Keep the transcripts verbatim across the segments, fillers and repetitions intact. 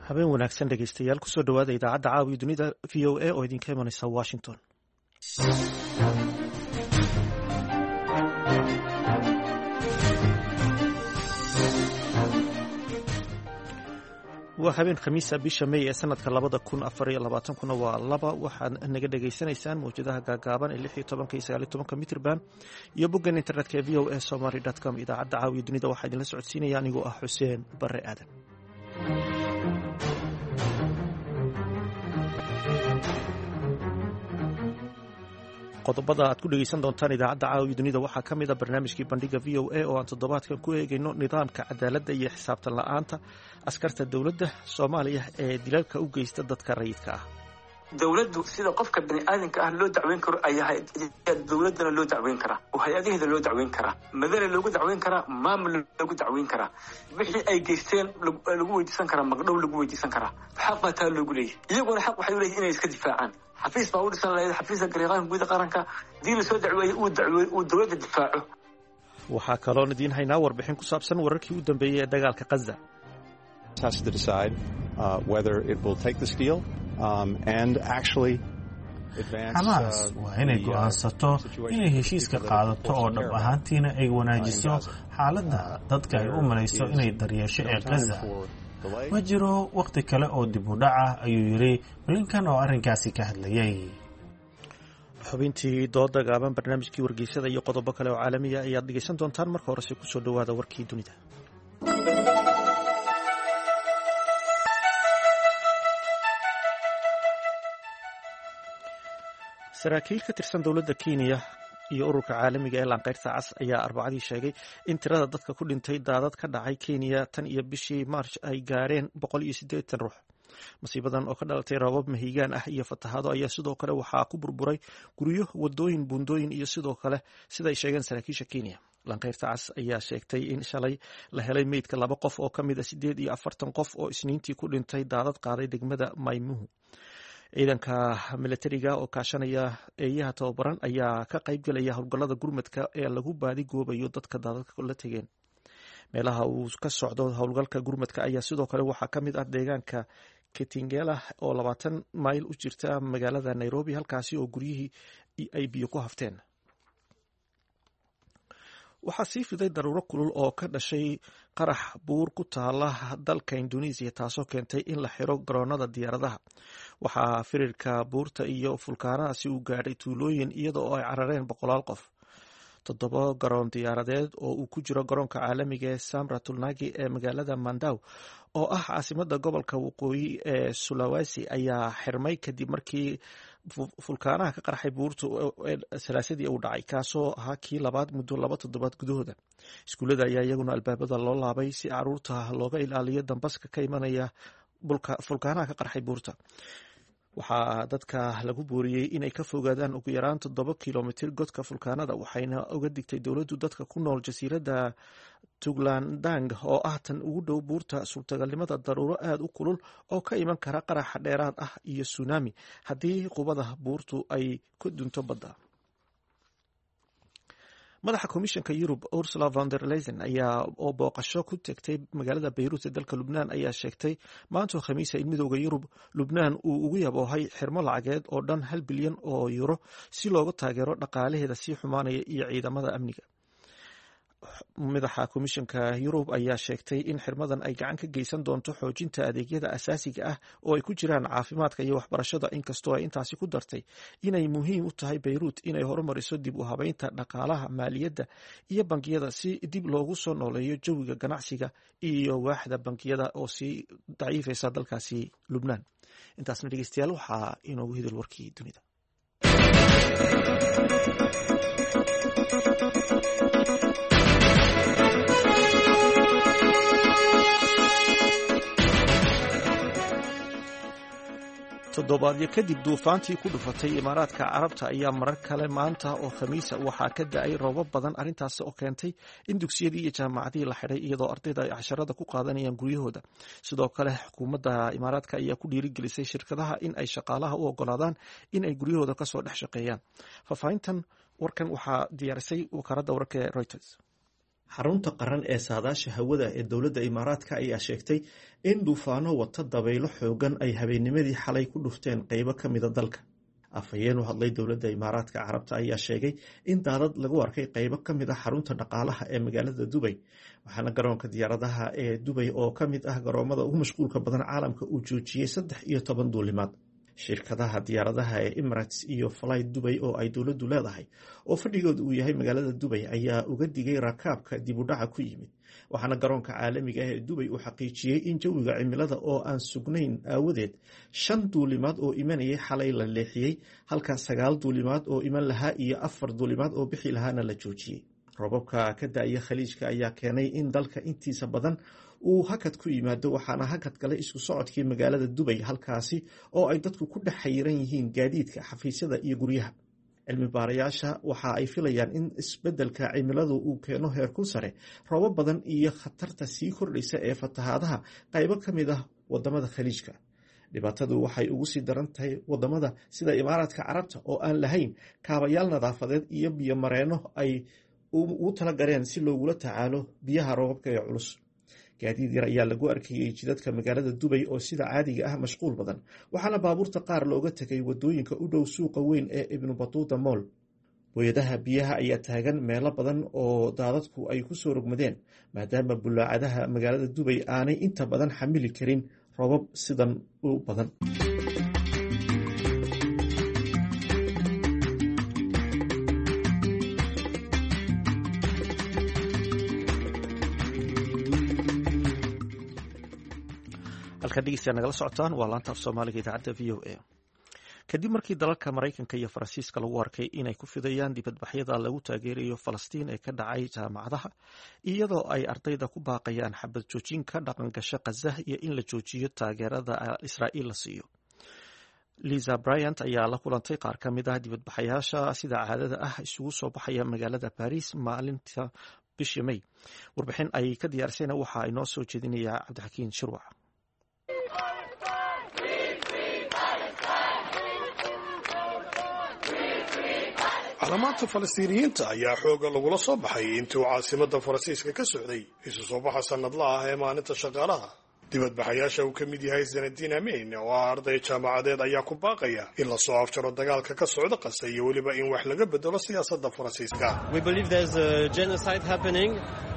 Habeen wanaagsan, dhegeystayaal. Kusoo dhawaada idaacadda Caawiya Dunida V O A oo idinka imanaysa Washington. Waa habeen Khamiisa, bisha May ee sanadka labada kun afar iyo labaatankuna waa laba. Waxaad naga dhagaysanaysaan mawjadaha gaagaaban ee lix iyo tobanka iyo sagaal iyo tobanka mitrban iyo boggan internetka ee V O A Somaly com. Idaacadda Caawiya Dunida waxaa idinla socodsiinaya anigoo ah Xuseen Bare Aadan. Qodobada aad ku dhegeysan doontaan idaacadda Caawiya Dunida waxaa ka mid a barnaamijkii Bandhiga V O A oo aan toddobaadkan ku eegayno nidaamka cadaaladda iyo xisaabtan la-aanta askarta dowladda Soomaaliya ee dilalka u geysta dadka rayidka ah. Dowladdu sida qofka bani aadamka ah loo dacweyn karo ayaa dowladdana loo dacweyn karaa oo hay-adaheeda loo dacweyn karaa, madane loogu dacweyn karaa, maamul loogu dacweyn karaa, wixii ay geysteen lagu weydiisan karaa, magdhow lagu weydiisan karaa. Xaq baa taa loogu leeyahy. Iyaguna xaq waxay u leeyihin inay iska difaacaan. Xafiis baa u dhisan lahayd, xafiiska garyaqaanka guud qaranka, hadii lasoo dacweeyey uu dacweey uu dowladda difaaco. Waxaa kaloon idiin haynaa warbixin ku saabsan wararkii u dambeeyey ee dagaalka Qaza. Has to decide uh, whether it will take this deal um, and actually Xamaas waa inay go'aansato inay heshiiska qaadato oo dhab ahaantiina ay wanaajiso xaaladda dadka ay u malayso inay daryeesho ee Gaza. Ma jiro wakhti kale oo dib u dhac ah, ayuu yidhi Blinkan oo arrinkaasi ka hadlayay. Xubintii dooda gaaban, barnaamijkii wargeysada iyo qodobo kale oo caalamiya ayaad dhegeysan doontaan. Marka horese kusoo dhowaada warkii dunida. Saraakiil ka tirsan dowladda Kenya iyo ururka caalamiga ee Laanqeyrta Cas ayaa Arbacadii sheegay in tirada dadka ku dhintay daadad ka dhacay Kenya tan iyo bishii Maarch ay gaareen boqol iyo siddeetan ruux. Masiibadan oo ka dhalatay roobab mahiigaan ah iyo fatahaado ayaa sidoo kale waxaa ku burburay guryo, wadooyin, buundooyin iyo sidoo kale, sida ay sheegeen saraakiisha Kenya. Laanqeyrta Cas ayaa sheegtay in shalay la helay meydka laba qof oo ka mid a sideed iyo afartan qof oo Isniintii ku dhintay daadad qaaday degmada Maymuhu. Ciidanka milatariga oo kaashanaya eeyaha tababaran ayaa ka qaybgelaya howlgallada gurmadka ee lagu baadi goobayo dadka daadadka la tegeen. Meelaha uu ka socdo howlgalka gurmadka ayaa sidoo kale waxaa ka mid ah deegaanka Ketingela oo labaatan mayl u jirta magaalada Nairobi, halkaasi oo guryihii ay biyo ku hafteen. Waxaa sii fiday daruuro kulul oo ka dhashay qarax buur ku taala dalka Indonesia, taasoo keentay in la xiro garoonada diyaaradaha. Waxaa firirka buurta iyo fulkaanadaasi uu gaadhay tuulooyin, iyada oo ay carareen boqolaal qof. Toddoba garoon diyaaradeed oo uu ku jiro garoonka caalamiga ee Samra Tulnagi ee magaalada Mandaw oo ah caasimada gobolka waqooyi ee Sulawesi ayaa xirmay kadib markii fulkaanaha ka qarxay buurta Salaasadii uu dhacay, kaasoo ahaa kii labaad muddo laba toddobaad gudahooda. Iskuullada ayaa iyaguna albaabada loo laabay si caruurta looga ilaaliyo dambaska ka imanaya fulkaanaha ka qarxay buurta. Waxaa dadka lagu booriyey inay ka fogaadaan ugu yaraan toddoba kilomitir godka fulkaanada, waxayna uga digtay dowladdu dadka ku nool jasiiradda Tuglandang oo ah tan ugu dhow buurta suurtagalnimada daruuro aada u kulul oo ka iman kara qaraxa dheeraad ah iyo sunaami haddii qubada buurtu ay ku dunto badda. Madaxa Komishanka Yurub Ursula von der Leyen ayaa oo booqasho ku tegtay magaalada Beyruut ee dalka Lubnaan ayaa sheegtay maantoo Khamiisa in Midooda Yurub Lubnaan uu ugu yaboohay xirmo lacageed oo dhan hal bilyan oo euro si loogu taageero dhaqaalaheeda sii xumaanaya iyo ciidamada amniga. Madaxa Komishanka Yurub ayaa sheegtay in xirmadan ay gacan ka geysan doonto xoojinta adeegyada asaasiga ah oo ay ku jiraan caafimaadka iyo waxbarashada, inkastoo ay intaasi ku dartay inay muhiim u tahay Beyruut inay horumariso dib u habeynta dhaqaalaha, maaliyadda iyo bangiyada si dib loogu soo nooleeyo jawiga ganacsiga iyo waaxda bangiyada oo sii daciifeysa dalkaasi Lubnaan. Intaasna, dhegeystayaal, waxaa inoogu hidil warkii dunida. Toddobaadyo kadib duufaantii ku dhufatay Imaaraadka Carabta ayaa marar kale maanta oo Khamiisa waxaa ka da-ay roobab badan, arrintaas oo keentay in dugsiyadii iyo jaamacadihii la xidhay, iyadoo ardayda ay casharada ku qaadanayaan guryahooda. Sidoo kale xukuumadda Imaaraadka ayaa ku dhiirigelisay shirkadaha in ay shaqaalaha u ogolaadaan in ay guryahooda kasoo dhex shaqeeyaan. Faahfaahintan warkan waxaa diyaarisay wakaaladda wararka ee Reuters. Xarunta qaran ee saadaasha hawada ee dowladda Imaaraadka ayaa sheegtay in duufaano wata dabaylo xoogan ay habeennimadii xalay ku dhufteen qeybo ka mida dalka. Afhayeen u hadlay dowladda Imaaraadka Carabta ayaa sheegay in daadad lagu arkay qeybo ka mid ah xarunta dhaqaalaha ee magaalada Dubay, waxaana garoonka diyaaradaha ee Dubay oo ka mid ah garoomada ugu mashquulka badan caalamka uu joojiyey saddex iyo toban duulimaad. Shirkadaha diyaaradaha ee Emirates iyo Fly Dubay oo ay dowladdu leedahay oo fadhigooda uu yahay magaalada Dubay ayaa uga digay rakaabka dib u dhaca ku yimid, waxaana garoonka caalamiga ah ee Dubay uu xaqiijiyey in jawiga cimilada oo aan sugnayn aawadeed shan duulimaad oo imanayay xalay la leexiyey, halka sagaal duulimaad oo iman lahaa iyo afar duulimaad oo bixi lahaana la joojiyey. Roobabka ka da'aya Khaliijka ayaa keenay in dalka intiisa badan uu hakad ku yimaado, waxaana hakad galay isku socodkii magaalada Dubay, halkaasi oo ay dadku ku dhex xayiran yihiin gaadiidka, xafiisyada iyo guryaha. Cilmi baarayaasha waxa ay filayaan in isbeddelka cimiladu uu keeno heerkul sare, roobab badan iyo khatarta sii kordhaysa ee fatahaadaha qaybo ka mid ah wadamada Khaliijka. Dhibaatadu waxay ugu sii daran tahay wadamada sida Imaaraadka Carabta oo aan lahayn kaabayaal nadaafadeed iyo biyo mareenno ay ugu talagaleen si loogula tacaalo biyaha roobabka ee culus. Gaadiid yar ayaa lagu arkayey jidadka magaalada Dubay oo sida caadiga ah mashquul badan, waxaana baabuurta qaar looga tegay wadooyinka u dhow suuqa weyn ee Ibnu Batuuta Moll. Booyadaha biyaha ayaa taagan meelo badan oo daadadku ay ku soo rogmadeen, maadaama bulaacadaha magaalada Dubay aanay inta badan xamili karin roobab sidan u badan. Halkaad dhegeystayaal nagala socotaan waa laanta af Soomaaliga idaacadda V O A. Kadib markii dalalka Maraykanka iyo Faransiiska lagu arkay inay ku fidayaan dibadbaxyada lagu taageerayo Falastiin ee ka dhacay jaamacadaha, iyadoo ay ardayda ku baaqayaan xabad joojin ka dhaqan gasha Khaza iyo in la joojiyo taageerada Israa'iil la siiyo. Lisa Bryant ayaa la kulantay qaar ka mid ah dibadbaxayaasha sida caadada ah isugu soo baxaya magaalada Paris maalinta bishii May. Warbixin ay ka diyaarisayna waxa inoo soo jeedinayaa Cabdixakiin Shirwac. Calaamaadta Falastiiniyiinta ayaa xoogga lagula soo baxay intii uu caasimadda Faransiiska ka socday isu soo baxa sannadla ah ee maalinta shaqaalaha. Dibadbaxayaasha uu ka mid yahay Sanadiin Ameyn oo ah arday jaamacadeed ayaa ku baaqaya in la soo afjaro dagaalka ka socda Qasa iyo weliba in wax laga bedelo siyaasadda Faransiiska. We believe there's a genocide happening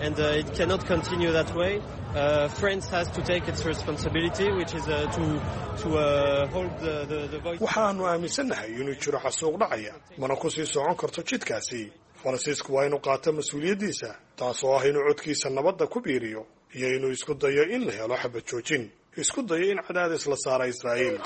and uh, it cannot continue that way. Uh, France has to take its responsibility, which is uh, to, to uh, hold the, the, the voice. Waxaanu aaminsannahay inuu jiro xasuuq dhacaya, mana ku sii socon karto jidkaasi. Faransiisku waa inuu qaato mas-uuliyaddiisa, taasoo ah inuu codkiisa nabadda ku biiriyo iyo inuu isku dayo in la helo xabad joojin, isku dayo in cadaadis la saara Israa'iil.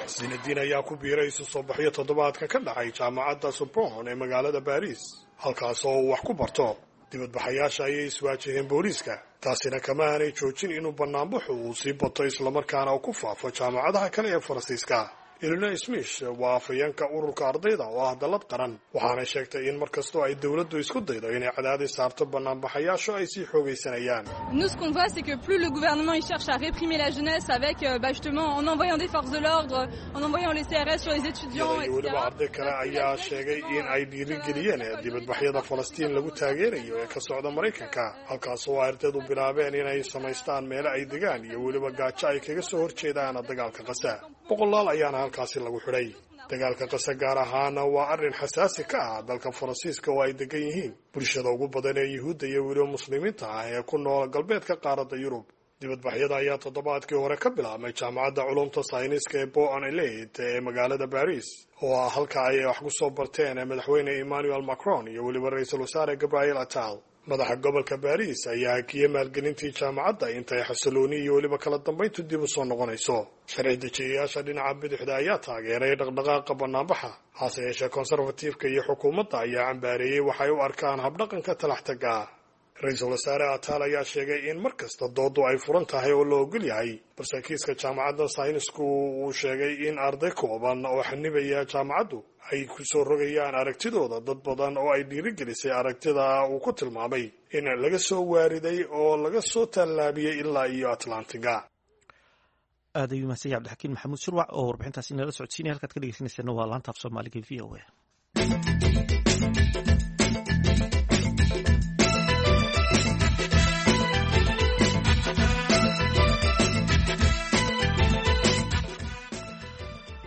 Sinadiin ayaa ku biiray isu soo baxyo toddobaadka ka dhacay jaamacadda Sorbonne ee magaalada Baariis, halkaas oo uu wax ku barto. Dibadbaxayaasha ayay iswaajaheen booliiska, taasina kama aanay joojin inuu bannaanbaxu uu sii bato islamarkaana uu ku faafo jaamacadaha kale ee Faransiiska. Elina Smith waa afhayeenka ururka ardayda oo ah dallad qaran, waxaana sheegtay in mar kastoo ay dowladdu isku daydo inay cadaadis saarto bannaanbaxayaashu ay sii xoogaysanayaan. Nous, ce qu'on voit, c'est que plus le gouvernement il cherche à réprimer la jeunesse avec, euh, bah, justement, en envoyant des forces de l'ordre, en envoyant les C R S sur les étudiants, Iyada iyo weliba arday kale ayaa sheegay in ay dhiirigeliyeen dibadbaxyada Falastiin lagu taageerayo ee ka socda Maraykanka, halkaas oo ardaydu bilaabeen inay samaystaan meelo ay degaan iyo weliba gaajo ay kaga soo horjeedaan dagaalka Qasa. Boqolaal ayaana halkaasi lagu xidhay. Dagaalka Qasa gaar ahaana waa arrin xasaasi ka ah dalka Faransiiska oo ay degan yihiin bulshada ugu badan ee Yuhuudda iyo weliba Muslimiinta ah ee ku nool galbeedka qaaradda Yurub. Dibadbaxyada ayaa toddobaadkii hore ka bilaabmay jaamacadda culumta sayniska ee Boan Elite ee magaalada Baris, oo ah halka ay wax ku soo barteen madaxweyne Emmanuel Macron iyo weliba ra-iisul wasaare Gabriel Attal. Madaxa gobolka Baris ayaa hakiyey maalgelintii jaamacadda intay xasilooni iyo weliba kala dambayntu dib u soo noqonayso. Sharci dejiyayaasha dhinaca bidixda ayaa taageeray dhaqdhaqaaqa bannaanbaxa, hase yeeshee konserfatiifka iyo xukuumadda ayaa cambaareeyey waxay u arkaan habdhaqanka talaxtaga. Ra-iisul wasaare Ataal ayaa sheegay in mar kasta doodu ay furan tahay oo la ogol yahay, balse kiiska jaamacadda saynisku uu sheegay in arday kooban oo xanibaya jaamacaddu ay ku soo rogayaan aragtidooda dad badan oo ay dhiirigelisay aragtida uu ku tilmaamay in laga soo waariday oo laga soo tallaabiyey ilaa iyo Atlantiga. Aad ayuu mahadsan yahay Cabdixakiin Maxamuud Shirwac oo warbixintaasi inala socodsiinaya. Halkaad ka dhegeysaneysana waa laanta af Soomaaliga V O A.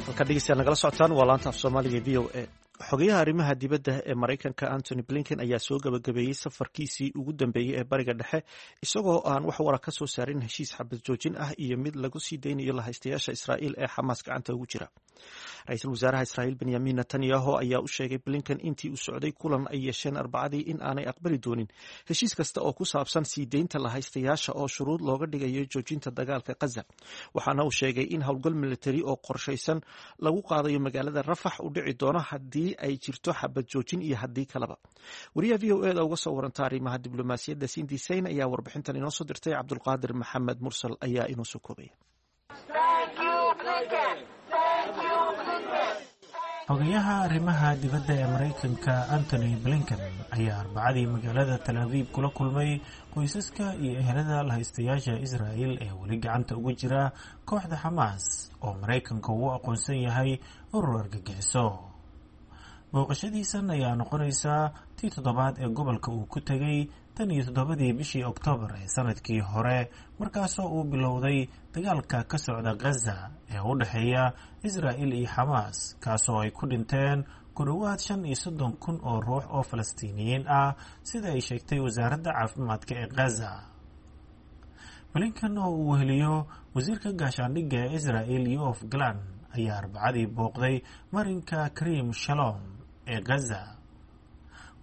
Halkaad dhegeystayaal nagala socotaan waa laanta af Soomaaliga V O A. Xogayaha arrimaha dibadda ee Maraykanka Antony Blinken ayaa soo gabagabeeyey safarkiisii ugu dambeeyey ee Bariga Dhexe, isagoo aan wax wara ka soo saarin heshiis xabad joojin ah iyo mid lagu sii daynayo lahaystayaasha Israa'iil ee Xamaas gacanta ugu jira. Ra-iisul wasaaraha Israa'iil Benyamin Netanyahu ayaa u sheegay Blinken intii uu socday kulan ay yeesheen Arbacadii in aanay aqbali doonin heshiis kasta oo ku saabsan sii deynta lahaystayaasha oo shuruud looga dhigayo joojinta dagaalka Qaza. Waxaana uu sheegay in howlgal militari oo qorshaysan lagu qaadayo magaalada Rafax u dhici doono haddii ay jirto xabad joojin iyo haddii kaleba. Wariyaha V O E da uga soo waranta arrimaha diblomaasiyadda Cindy Saine ayaa warbixintan inoo soo dirtay. Cabdulqaadir Maxamed Mursal ayaa inoo soo koobaya. Xogayaha arrimaha dibadda ee Maraykanka Antony Blinken ayaa Arbacadii magaalada Tal Aviib kula kulmay qoysaska iyo ehelada lahaystayaasha Israa'il ee weli gacanta ugu jira kooxda Xamaas oo Maraykanka uu aqoonsan yahay urur argagixiso. Booqashadiisan ayaa noqonaysaa tii toddobaad ee gobolka uu ku tegay tan iyo toddobadii bishii Oktoobar ee sanadkii hore, markaasoo uu bilowday dagaalka ka socda Gaza ee u dhexeeya Israa'il iyo Xamaas, kaasoo ay ku dhinteen ku dhowaad shan iyo soddon kun oo ruux oo Falastiiniyiin ah, sida ay sheegtay wasaaradda caafimaadka ee Gaza. Blinken oo uu weheliyo wasiirka gaashaandhigga ee Israa'il Yoav Gallant ayaa Arbacadii booqday marinka Karim Shalom ee Gaza.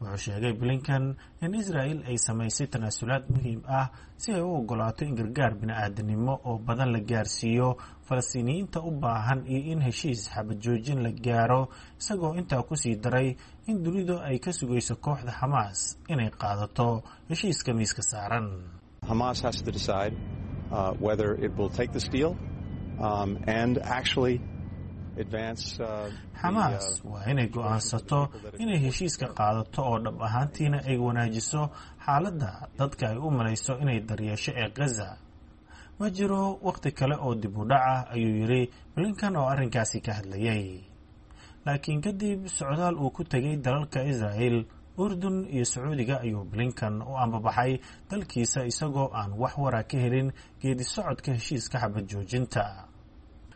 Wuxuu sheegay Blinken in Israa'il ay samaysay tanaasulaad muhiim ah si ay u ogolaato in gargaar bini-aadanimo oo badan la gaarsiiyo Falastiiniyiinta u baahan iyo in heshiis xabad joojin la gaaro, isagoo intaa kusii daray in dunidu ay ka sugayso kooxda Xamaas inay qaadato heshiiska miiska saaran. Hamas has to decide uh, whether it will take this deal um, and actually Xamaas waa inay go'aansato inay heshiiska qaadato oo dhab ahaantiina ay wanaajiso xaaladda dadka ay u malayso inay daryeesho ee Gaza. Ma jiro wakhti kale oo dib u dhac ah, ayuu yidhi Blinkan oo arrinkaasi ka hadlayay. Laakiin kadib socdaal uu ku tegay dalalka Israa'il, Urdun iyo Sacuudiga ayuu Blinkan u ambabaxay dalkiisa, isagoo aan wax wara ka helin geedi socodka heshiiska xabad joojinta.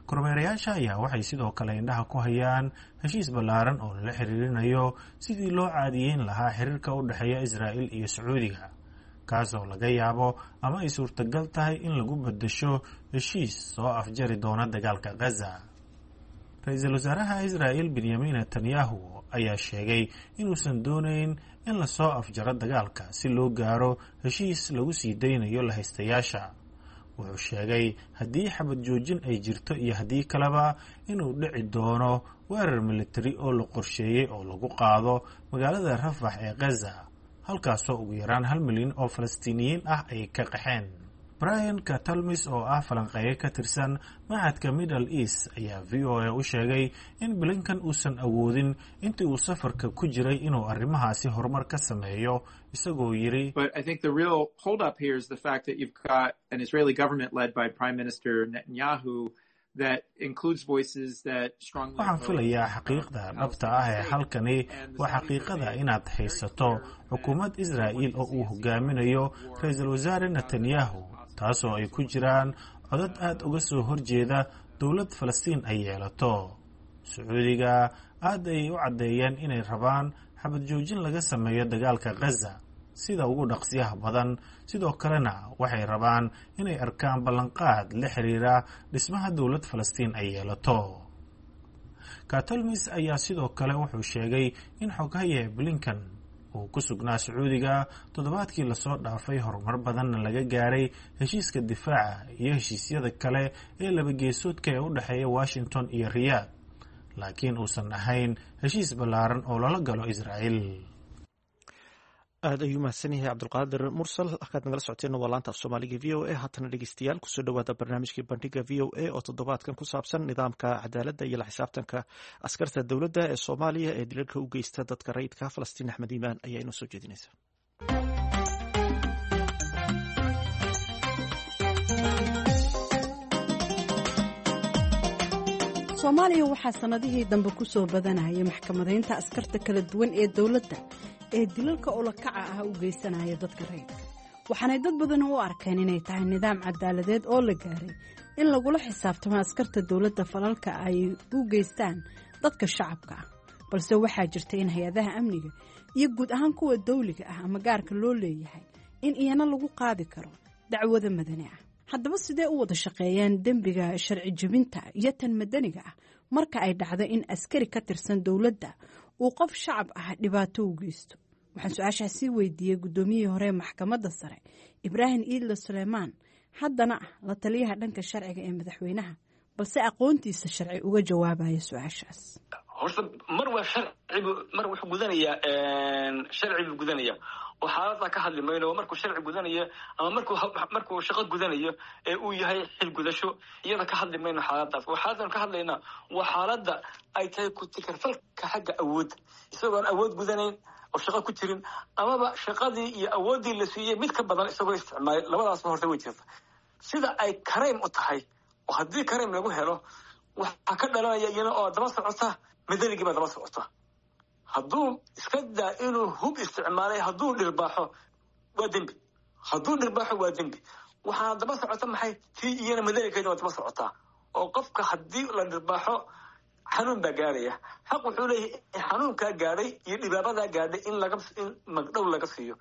Kormeerayaasha ayaa waxay sidoo kale indhaha ku hayaan heshiis ballaaran oo lala xiriirinayo sidii loo caadiyeyn lahaa xiriirka u dhexeeya Israa'il iyo Sacuudiga, kaasoo laga yaabo ama ay suurtagal tahay in lagu beddesho heshiis soo afjari doona dagaalka Gaza. Ra-iisul wasaaraha Israa'il Benyamin Netanyahu ayaa sheegay inuusan doonayn in lasoo afjaro dagaalka si loo gaaro heshiis lagu sii daynayo lahaystayaasha. Wuxuu sheegay haddii xabad joojin ay jirto iyo haddii kaleba inuu dhici doono weerar militari oo la qorsheeyey oo lagu qaado magaalada Rafax ee Gaza, halkaasoo ugu yaraan hal milyan oo Falastiiniyiin ah ay ka qaxeen. Brian Katalmis oo ah falanqeeye ka tirsan machadka Middle East ayaa V O A u sheegay in Blinkan uusan awoodin intii uu safarka ku jiray inuu arrimahaasi horumar ka sameeyo, isagoo yidhi: But I think the real holdup here is the fact that you've got an Israeli government led by Prime Minister Netanyahu that includes voices that strongly Waxaan filayaa xaqiiqda dhabta ah ee halkani waa xaqiiqada inaad haysato xukuumad Israa'iil oo uu hogaaminayo ra-iisul wasaare Netanyahu, taasoo ay ku jiraan codad aad uga soo horjeeda dowlad Falastiin ay yeelato. Sacuudiga aad ay u caddeeyeen inay rabaan xabad joojin laga sameeyo dagaalka Gaza sida ugu dhaqsiyaha badan. Sidoo kalena waxay rabaan inay arkaan ballanqaad la xiriira dhismaha dowlad Falastiin ay yeelato. Katolmis ayaa sidoo kale wuxuu sheegay in xoghaye Blinkan uu ku sugnaa Sacuudiga toddobaadkii lasoo dhaafay, horumar badanna laga gaaray heshiiska difaaca iyo heshiisyada kale ee labageesoodka ee u dhexeeya Washington iyo Riyaad, laakiin uusan ahayn heshiis ballaaran oo lala galo Israa'iil. Aad ayuu mahadsan yahay Cabdulqaadir Mursal. Halkaad nagala socoteen waa laanta af Soomaaliga V O A. Haatana dhegeystayaal, kusoo dhawaada barnaamijkii Bandhiga V O A oo toddobaadkan ku saabsan nidaamka cadaaladda iyo la xisaabtanka askarta dowladda ee Soomaaliya ee dilalka u geysta dadka rayidka. Falastiin Axmed Iimaan ayaa inoo soo jeedinaysa. Soomaaliya waxaa sannadihii dambe ku soo badanayay maxkamadaynta askarta kala duwan ee dowladda ee dilalka ulakaca ah u geysanaya dadka rayidka, waxaanay dad badan u arkeen inay tahay nidaam cadaaladeed oo la gaaray in lagula xisaabtamo askarta dowladda falalka ay u geystaan dadka shacabka ah. Balse waxaa jirta in hay-adaha amniga iyo guud ahaan kuwa dawliga ah ama gaarka loo leeyahay in iyana lagu qaadi karo dacwada madani ah. Haddaba sidee u wada shaqeeyaan dembiga sharci jebinta iyo tan madaniga ah marka ay dhacdo in askari ka tirsan dowladda uu qof shacab ah dhibaato u geysto? Waxaan su-aashaasi weydiiyey guddoomiyihii hore ee maxkamadda sare Ibraahim Iidle Suleymaan, haddana ah la taliyaha dhanka sharciga ee madaxweynaha, balse aqoontiisa sharci uga jawaabaya su-aashaas. Horta mar waa sharcibu, mar wuxuu gudanayaa sharci buu gudanaya oo xaaladdaa ka hadli mayno. Markuu sharci gudanayo ama markuu markuu shaqo gudanayo ee uu yahay xil gudasho, iyada ka hadli mayno xaaladaas. Oo xaaladdan ka hadlaynaa waa xaaladda ay tahay ku-tikarfalka xagga awoodda, isagoon awood gudanayn oo shaqo ku jirin amaba shaqadii iyo awooddii la siiyey mid ka badan isagoo isticmaalay. Labadaasba horta way jirta. Sida ay crime u tahay oo haddii crime lagu helo waxaa ka dhalanaya iyana oo daba socota madanigii baa daba socota. Hadduu iska daa inuu hub isticmaalay, hadduu dhirbaaxo waa dembi, hadduu dhirbaaxo waa dembi. Waxaana daba socota maxay tii iyana madanikeeda waa daba socotaa, oo qofka haddii la dhirbaaxo xanuun baa gaaraya. Xaq wuxuu leeyahay xanuunkaa gaadhay iyo dhibaabadaa gaadhay in laga in magdhow laga siiyo.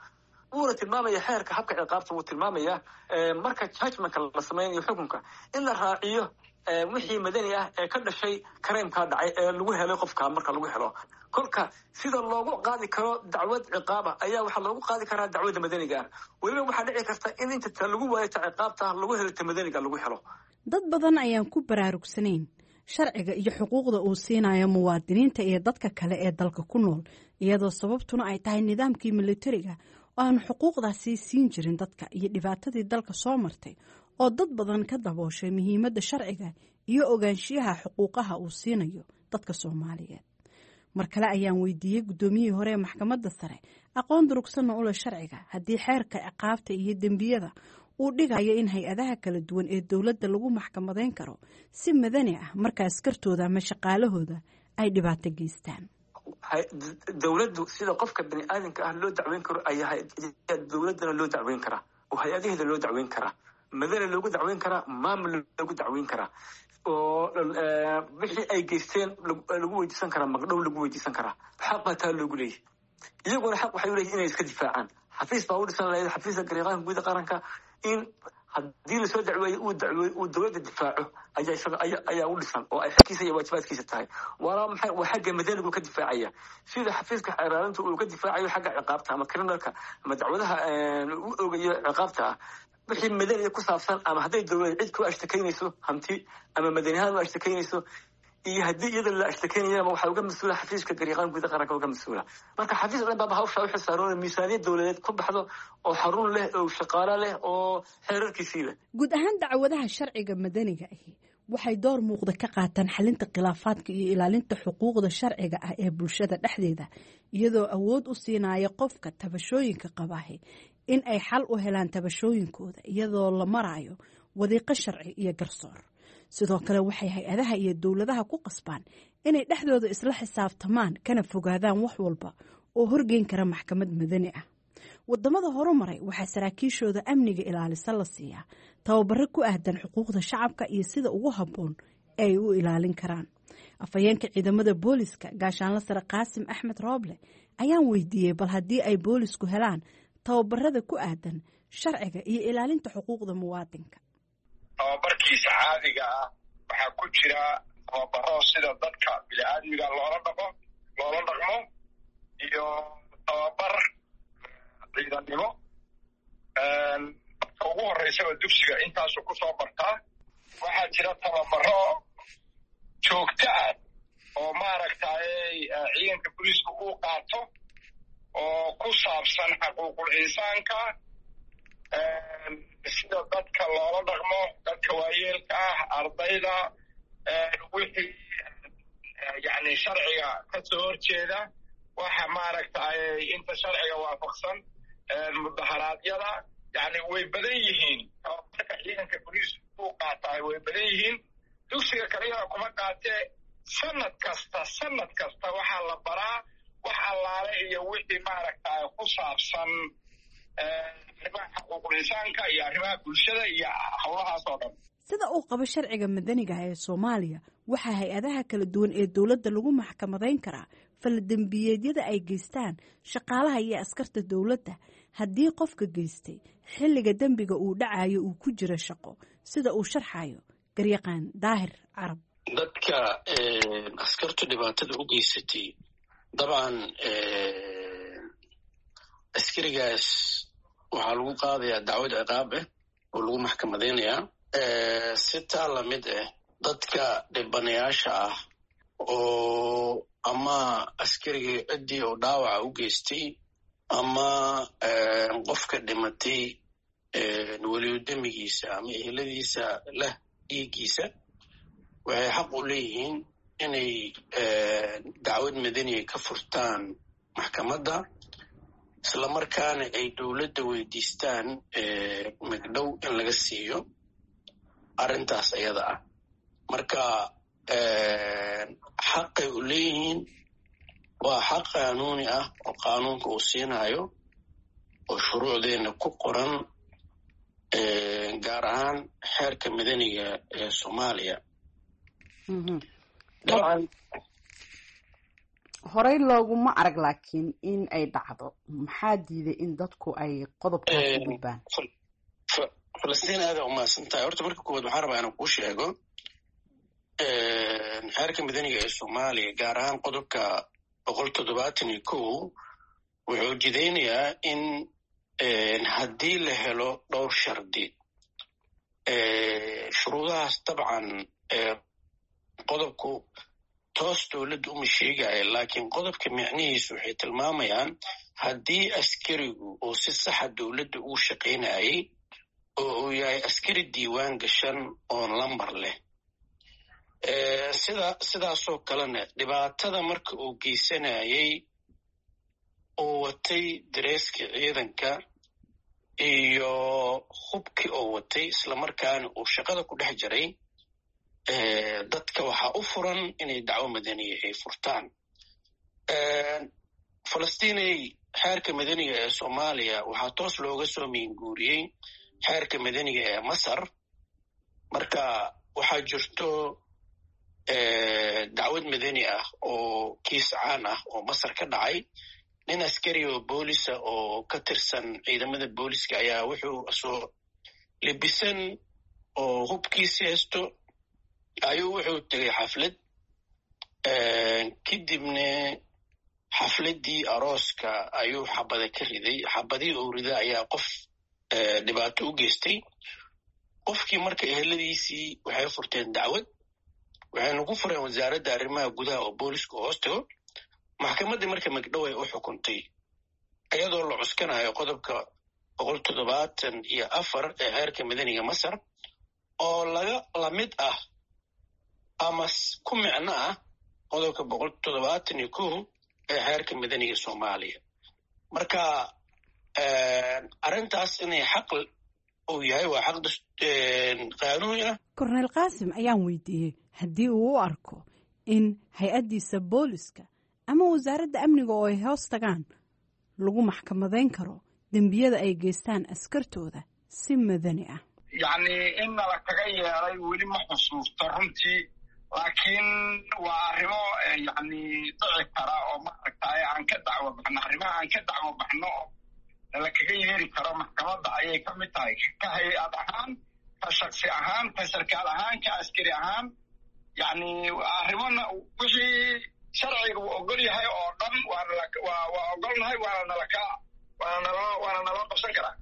Wuuna tilmaamaya xeerka habka ciqaabta, wuu tilmaamayaa marka judgmentka la sameynayo xukunka in la raaciyo wixii madani ah ee ka dhashay crimekaa dhacay ee lagu helay qofka marka lagu helo. Kolka sida loogu qaadi karo dacwad ciqaaba ayaa waxaa loogu qaadi karaa dacwadda madaniga ah. Weliba waxaa dhici karta in inta ta lagu waayo ta ciqaabta lagu helo ta madaniga lagu helo. Dad badan ayaan ku baraarugsanayn sharciga iyo xuquuqda uu siinayo muwaadiniinta iyo dadka kale ee dalka ku nool, iyadoo sababtuna ay tahay nidaamkii militariga oo aan xuquuqdaasi siin jirin dadka iyo dhibaatadii dalka soo martay oo dad badan ka dabooshay muhiimadda sharciga iyo ogaanshiyaha xuquuqaha uu siinayo dadka Soomaaliyeed. Mar kale ayaan weydiiyey guddoomiyihii hore ee maxkamadda sare, aqoon durugsanna u leh sharciga, haddii xeerka ciqaabta iyo dembiyada uu dhigayo in hay-adaha kala duwan ee dowladda lagu maxkamadayn karo si madani ah marka askartooda ama shaqaalahooda ay dhibaato geystaan. Dowladdu sida qofka bani aadamka ah loo dacweyn karo ayaa dowladdana loo dacweyn karaa oo hay-adaheeda loo dacweyn karaa, madani loogu dacweyn karaa, maamul loogu dacweyn karaa, oo wixii ay geysteen lagu weydiisan karaa, magdhow lagu weydiisan karaa. Xaq baa taa loogu leeyahy. Iyaguna xaq waxay uleeyihin inay iska difaacaan. Xafiis baa u dhisan lahayd xafiiska gariiqaanka guud qaranka in haddii lasoo dacweeyo uu dacweeyo uu dowladda difaaco ayaa isaga aya ayaa u dhisan oo ay xagkiisa iyo waajibaadkiisa tahay. Waana maxay? Waa xagga madanigu ka difaacaya, sida xafiiska xeeraalinta uu ka difaacayo xagga ciqaabta ama criminalka ama dacwadaha u ogayo ciqaabta ah. Wixii madaniga ku saabsan ama hadday dowlad cid ku ashtakaynayso hanti ama madani ahaan u ashtakaynayso iyo haddii iyada la ashtakaynayaba, waxaa uga mas-uula xafiiska gariiqaan guud qaranka uga mas-uula. Marka xafiis dhan baaba hawshaa u xilsaaroon, miisaaniyad dowladeed ku baxdo oo xarun leh oo shaqaalo leh oo xeerarkiisii leh. Guud ahaan dacwadaha sharciga madaniga ahi waxay door muuqda ka qaataan xalinta khilaafaadka iyo ilaalinta xuquuqda sharciga ah ee bulshada dhexdeeda, iyadoo awood u siinaya qofka tabashooyinka qabaahi in ay xal u helaan tabashooyinkooda iyadoo la marayo wadiiqo sharci iyo garsoor. Sidoo kale waxay hay-adaha iyo dowladaha ku qasbaan inay dhexdooda isla xisaabtamaan kana fogaadaan wax walba oo horgeyn kara maxkamad madani ah. Wadamada horumaray waxaa saraakiishooda amniga ilaalisa la siiyaa tababaro ku aahdan xuquuqda shacabka iyo sida ugu habboon ee ay u ilaalin karaan. Afhayeenka ciidamada booliska gaashaanla sare Qaasim Axmed Rooble ayaan weydiiyey bal haddii ay boolisku helaan tababarada ku aadan sharciga iyo ilaalinta xuquuqda muwaadinka. Tababarkiisa caadiga ah waxaa ku jira tababaro sida dadka bini-aadmiga loola dhaqo loola dhaqmo iyo tababar ciidannimo. Marka ugu horreysaba dugsiga intaasuu kusoo bartaa. Waxaa jira tababaro joogto ah oo maaragtay ciidanka booliiska uu qaato oo ku saabsan xaquuqul insaanka, sida dadka loola dhaqmo, dadka waayeelka ah, ardayda, wixii yani sharciga ka soo horjeeda, waxa maaragtay inta sharciga waafaqsan, mudaharaadyada. Yani way badan yihiin tababarka ciidanka booliisku uu qaataay, way badan yihiin. Dugsiga kaliyana kuma qaatee, sanad kasta sanad kasta waxaa la baraa wax allaale iyo wixii maaragtay ku saabsan arrimaha xuquuqul insaanka iyo arrimaha bulshada iyo howlahaas oo dhan. Sida uu qabo sharciga madaniga ah ee Soomaaliya, waxaa hay-adaha kala duwan ee dowladda lagu maxkamadayn karaa faldembiyeedyada ay geystaan shaqaalaha iyo askarta dowladda haddii qofka geystay xilliga dembiga uu dhacayo uu ku jiro shaqo, sida uu sharxayo garyaqaan Daahir Carab. Dadka askartu dhibaatada u geysatay, dabcan askarigaas waxaa lagu qaadayaa dacwad ciqaab ah oo lagu maxkamadaynayaa. Si taa lamid ah, dadka dhibanayaasha ah oo ama askarigii ciddii oo dhaawaca u geystay ama qofka dhimatay weliyodemigiisa ama eheladiisa leh dhiiggiisa, waxay xaq u leeyihiin inay dacwad madaniya ka furtaan maxkamadda, islamarkaana ay dowladda weydiistaan magdhow in laga siiyo arrintaas iyada ah. Marka xaqay u leeyihiin, waa xaq qaanuuni ah oo qaanuunka uu siinayo oo shuruucdeenna ku qoran, gaar ahaan xeerka madaniga ee Soomaaliya. Horey looguma arag, laakiin in ay dhacdo maxaa diiday in dadku ay qodobkaas u gudbaan? Falastiin, aada umahadsan tahay. Horta marka koowaad waxaan rabaa inaan kuu sheego xeerka madaniga ee Soomaaliya, gaar ahaan qodobka boqol toddobaatan iyo kow, wuxuu jidaynayaa in haddii la helo dhowr shardi, shuruudahaas dabcan qodobku toos dowladda uma sheegaya, laakiin qodobka micnihiisu waxay tilmaamayaan haddii askarigu uu si saxa dowladda uu shaqaynayay oo uu yahay askari diiwaan gashan oo lambar leh, sida sidaasoo kalena dhibaatada marka uu geysanayay uu watay dareeskii ciidanka iyo hubkii oo watay, islamarkaana uu shaqada ku dhex jiray, dadka waxaa u furan inay dacwo madaniya ay furtaan. Falastiinay, xeerka madaniga ee Soomaaliya waxaa toos looga soo miinguuriyey xeerka madaniga ee Masar. Marka waxaa jirto dacwad madani ah oo kiis caan ah oo Masar ka dhacay. Nin askari oo boolisa oo ka tirsan ciidamada booliska ayaa wuxuu soo libisan oo hubkiisi haysto ayuu wuxuu tegay xaflad. Kadibna xafladdii arooska ayuu xabada ka riday. Xabadihii uu rida ayaa qof dhibaato u geystay. Qofkii marka eheladiisii waxay furteen dacwad, waxayna ku fureen wasaaradda arrimaha gudaha oo booliska hoos tago. Maxkamaddii marka magdhow ay u xukuntay iyadoo la cuskanayo qodobka boqol toddobaatan iyo afar ee xeerka madaniga Masar, oo laga lamid ah ama ku micno ah qodobka boqol toddobaatan iyo kow ee xeerka madaniga Soomaaliya. Marka arrintaas inay xaq uu yahay waa xaq qaanuuni ah. Korneyl Qaasim ayaan weydiiyey haddii uu u arko in hay-addiisa booliska ama wasaaradda amniga oo ay hoos tagaan lagu maxkamadayn karo dembiyada ay geystaan askartooda si madani ah. Yacni in nala kaga yeelay weli ma xusuusto runtii, laakiin waa arrimo yacni dhici kara oo maaragtay aan ka dacwo baxno, arrimaha aan ka dacwo baxno oo nala kaga yeeri karo maxkamadda ayay ka mid tahay, ka hay-ad ahaan, ka shaksi ahaan, ka sarkaal ahaan, ka askari ahaan. Yacni arrimona wixii sharciga uu ogol yahay oo dhan waanawaa waa ogolnahay, waana nalaka waana nala waana nala qabsan karaa.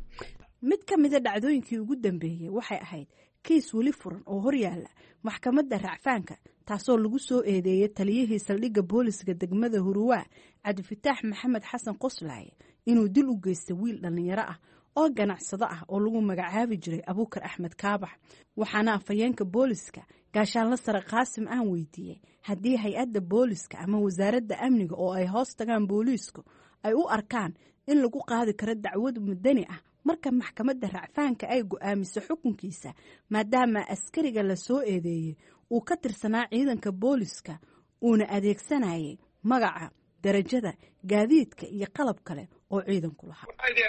Mid ka mida dhacdooyinkii ugu dambeeyey waxay ahayd kiis weli furan oo horyaala maxkamadda racfaanka, taasoo lagu soo eedeeyey taliyihii saldhigga booliska degmada Huruwaa, Cabdifataax Maxamed Xasan Qoslaaye, inuu dil u geystay wiil dhallinyaro ah oo ganacsado ah oo lagu magacaabi jiray Abuukar Axmed Kaabax. Waxaana afhayeenka booliska gaashaanla sare Qaasim aan weydiiyey haddii hay-adda booliska ama wasaaradda amniga oo ay hoos tagaan booliisku ay u arkaan in lagu qaadi karo dacwad madani ah marka maxkamadda racfaanka ay go'aamiso xukunkiisa, maadaama askariga la soo eedeeyey uu ka tirsanaa ciidanka booliska uuna adeegsanayay magaca, darajada, gaadiidka iyo qalab kale oo ciidanku lahaa.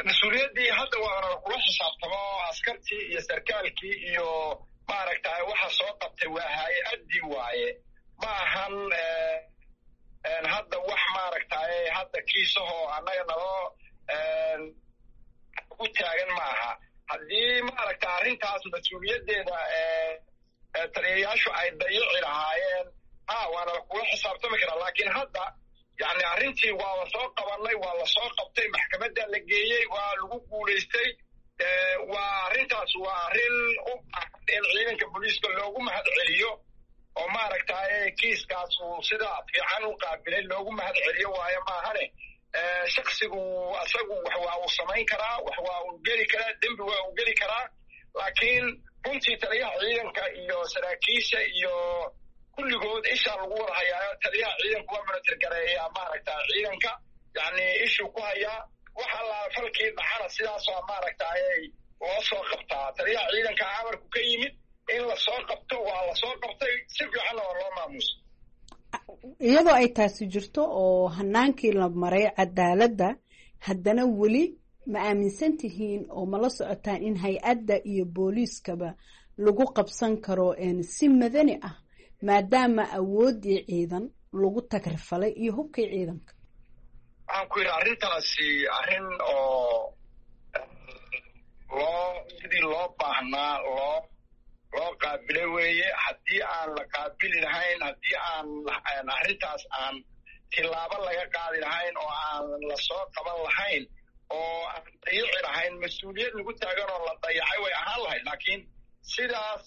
Mas-uuliyaddii hadda waana kula xisaabtamo askartii iyo sarkaalkii iyo maaragtay waxa soo qabtay waa hay-addii waaye. Ma ahan hadda wax maaragtay hadda kiisahoo annaga naloo ku taagan ma aha. Haddii maaragta arrintaas mas-uuliyaddeeda taliyayaashu ay dayici lahaayeen, ha, waana kula xisaabtami karaa. Laakiin hadda yani arrintii waa la soo qabanay, waa la soo qabtay, maxkamadda la geeyey, waa lagu guulaystay. Waa arrintaas waa arrin u baahan in ciidanka booliiska loogu mahad celiyo oo maaragtay kiiskaas uu sida fiican u qaabilay loogu mahad celiyo waayo. Maahane shaksigu asagu wax waa uu samayn karaa, wax waa uu geli karaa, dembi waa uu geli karaa, laakiin runtii taliyaha ciidanka iyo saraakiisha iyo kulligood ishaa lagu wada hayaa. Taliyaha ciidanku waa monitor gareeyaa maaragta ciidanka, yani ishuu ku hayaa wax allaa falkii dhacana sidaasoo maaragtay loo soo qabtaa. Taliyaha ciidanka amarku ka yimid in lasoo qabto, waa lasoo qabtay, si fiicanna waa loo maamuusa. Iyadoo ay taasi jirto oo hanaankii la maray cadaaladda, haddana weli ma aaminsan tihiin oo ma la socotaan in hay-adda iyo booliiskaba lagu qabsan karo si madani ah, maadaama awooddii ciidan lagu tagrifalay iyo hubkii ciidanka? Waxaan ku yidhi arrintaasi arrin oo loo sidii loo baahnaa loo loo qaabilay weeye. Haddii aan la qaabili lahayn, haddii aan arrintaas aan tilaabo laga qaadi lahayn oo aan la soo qaban lahayn oo aan dayici lahayn, mas-uuliyad lagu taagan oo la dayacay way ahaan lahayd. Laakiin sidaas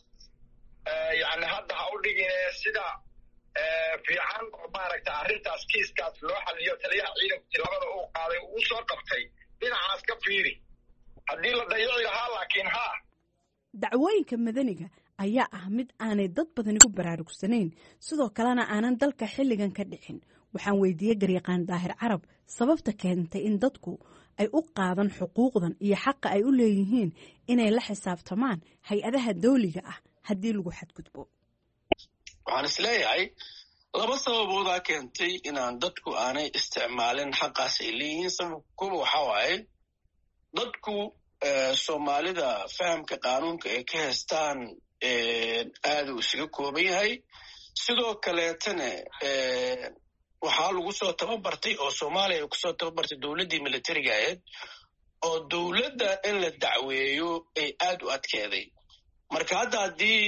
yani hadda ha u dhigine, sida fiican oo maaragta arrintaas kiiskaas loo xaliyo, taliyaha ciidanku tilaabada uu qaaday uu soo qabtay, dhinacaas ka fiiri haddii la dayici lahaa laakiin ha. Dacwooyinka madaniga ayaa ah mid aanay dad badani ku baraarugsanayn, sidoo kalena aanan dalka xilligan ka dhicin. Waxaan weydiiyey garyaqaan Daahir Carab sababta keentay in dadku ay u qaadan xuquuqdan iyo xaqa ay u leeyihiin inay la xisaabtamaan hay-adaha dawliga ah haddii lagu xadgudbo. Waxaan isleeyahay laba sababoodaa keentay inaan dadku aanay isticmaalin xaqaas ay leeyihiin. Sababka kuba waxaa waaye dadku Soomaalida fahamka qaanuunka ay ka haystaan aada uu isaga kooban yahay. Sidoo kaleetana waxaa lagu soo tababartay oo Soomaaliya ay kusoo tababartay dowladdii militariga ahayd, oo dowladda in la dacweeyo ay aad u adkeeday. Marka hadda haddii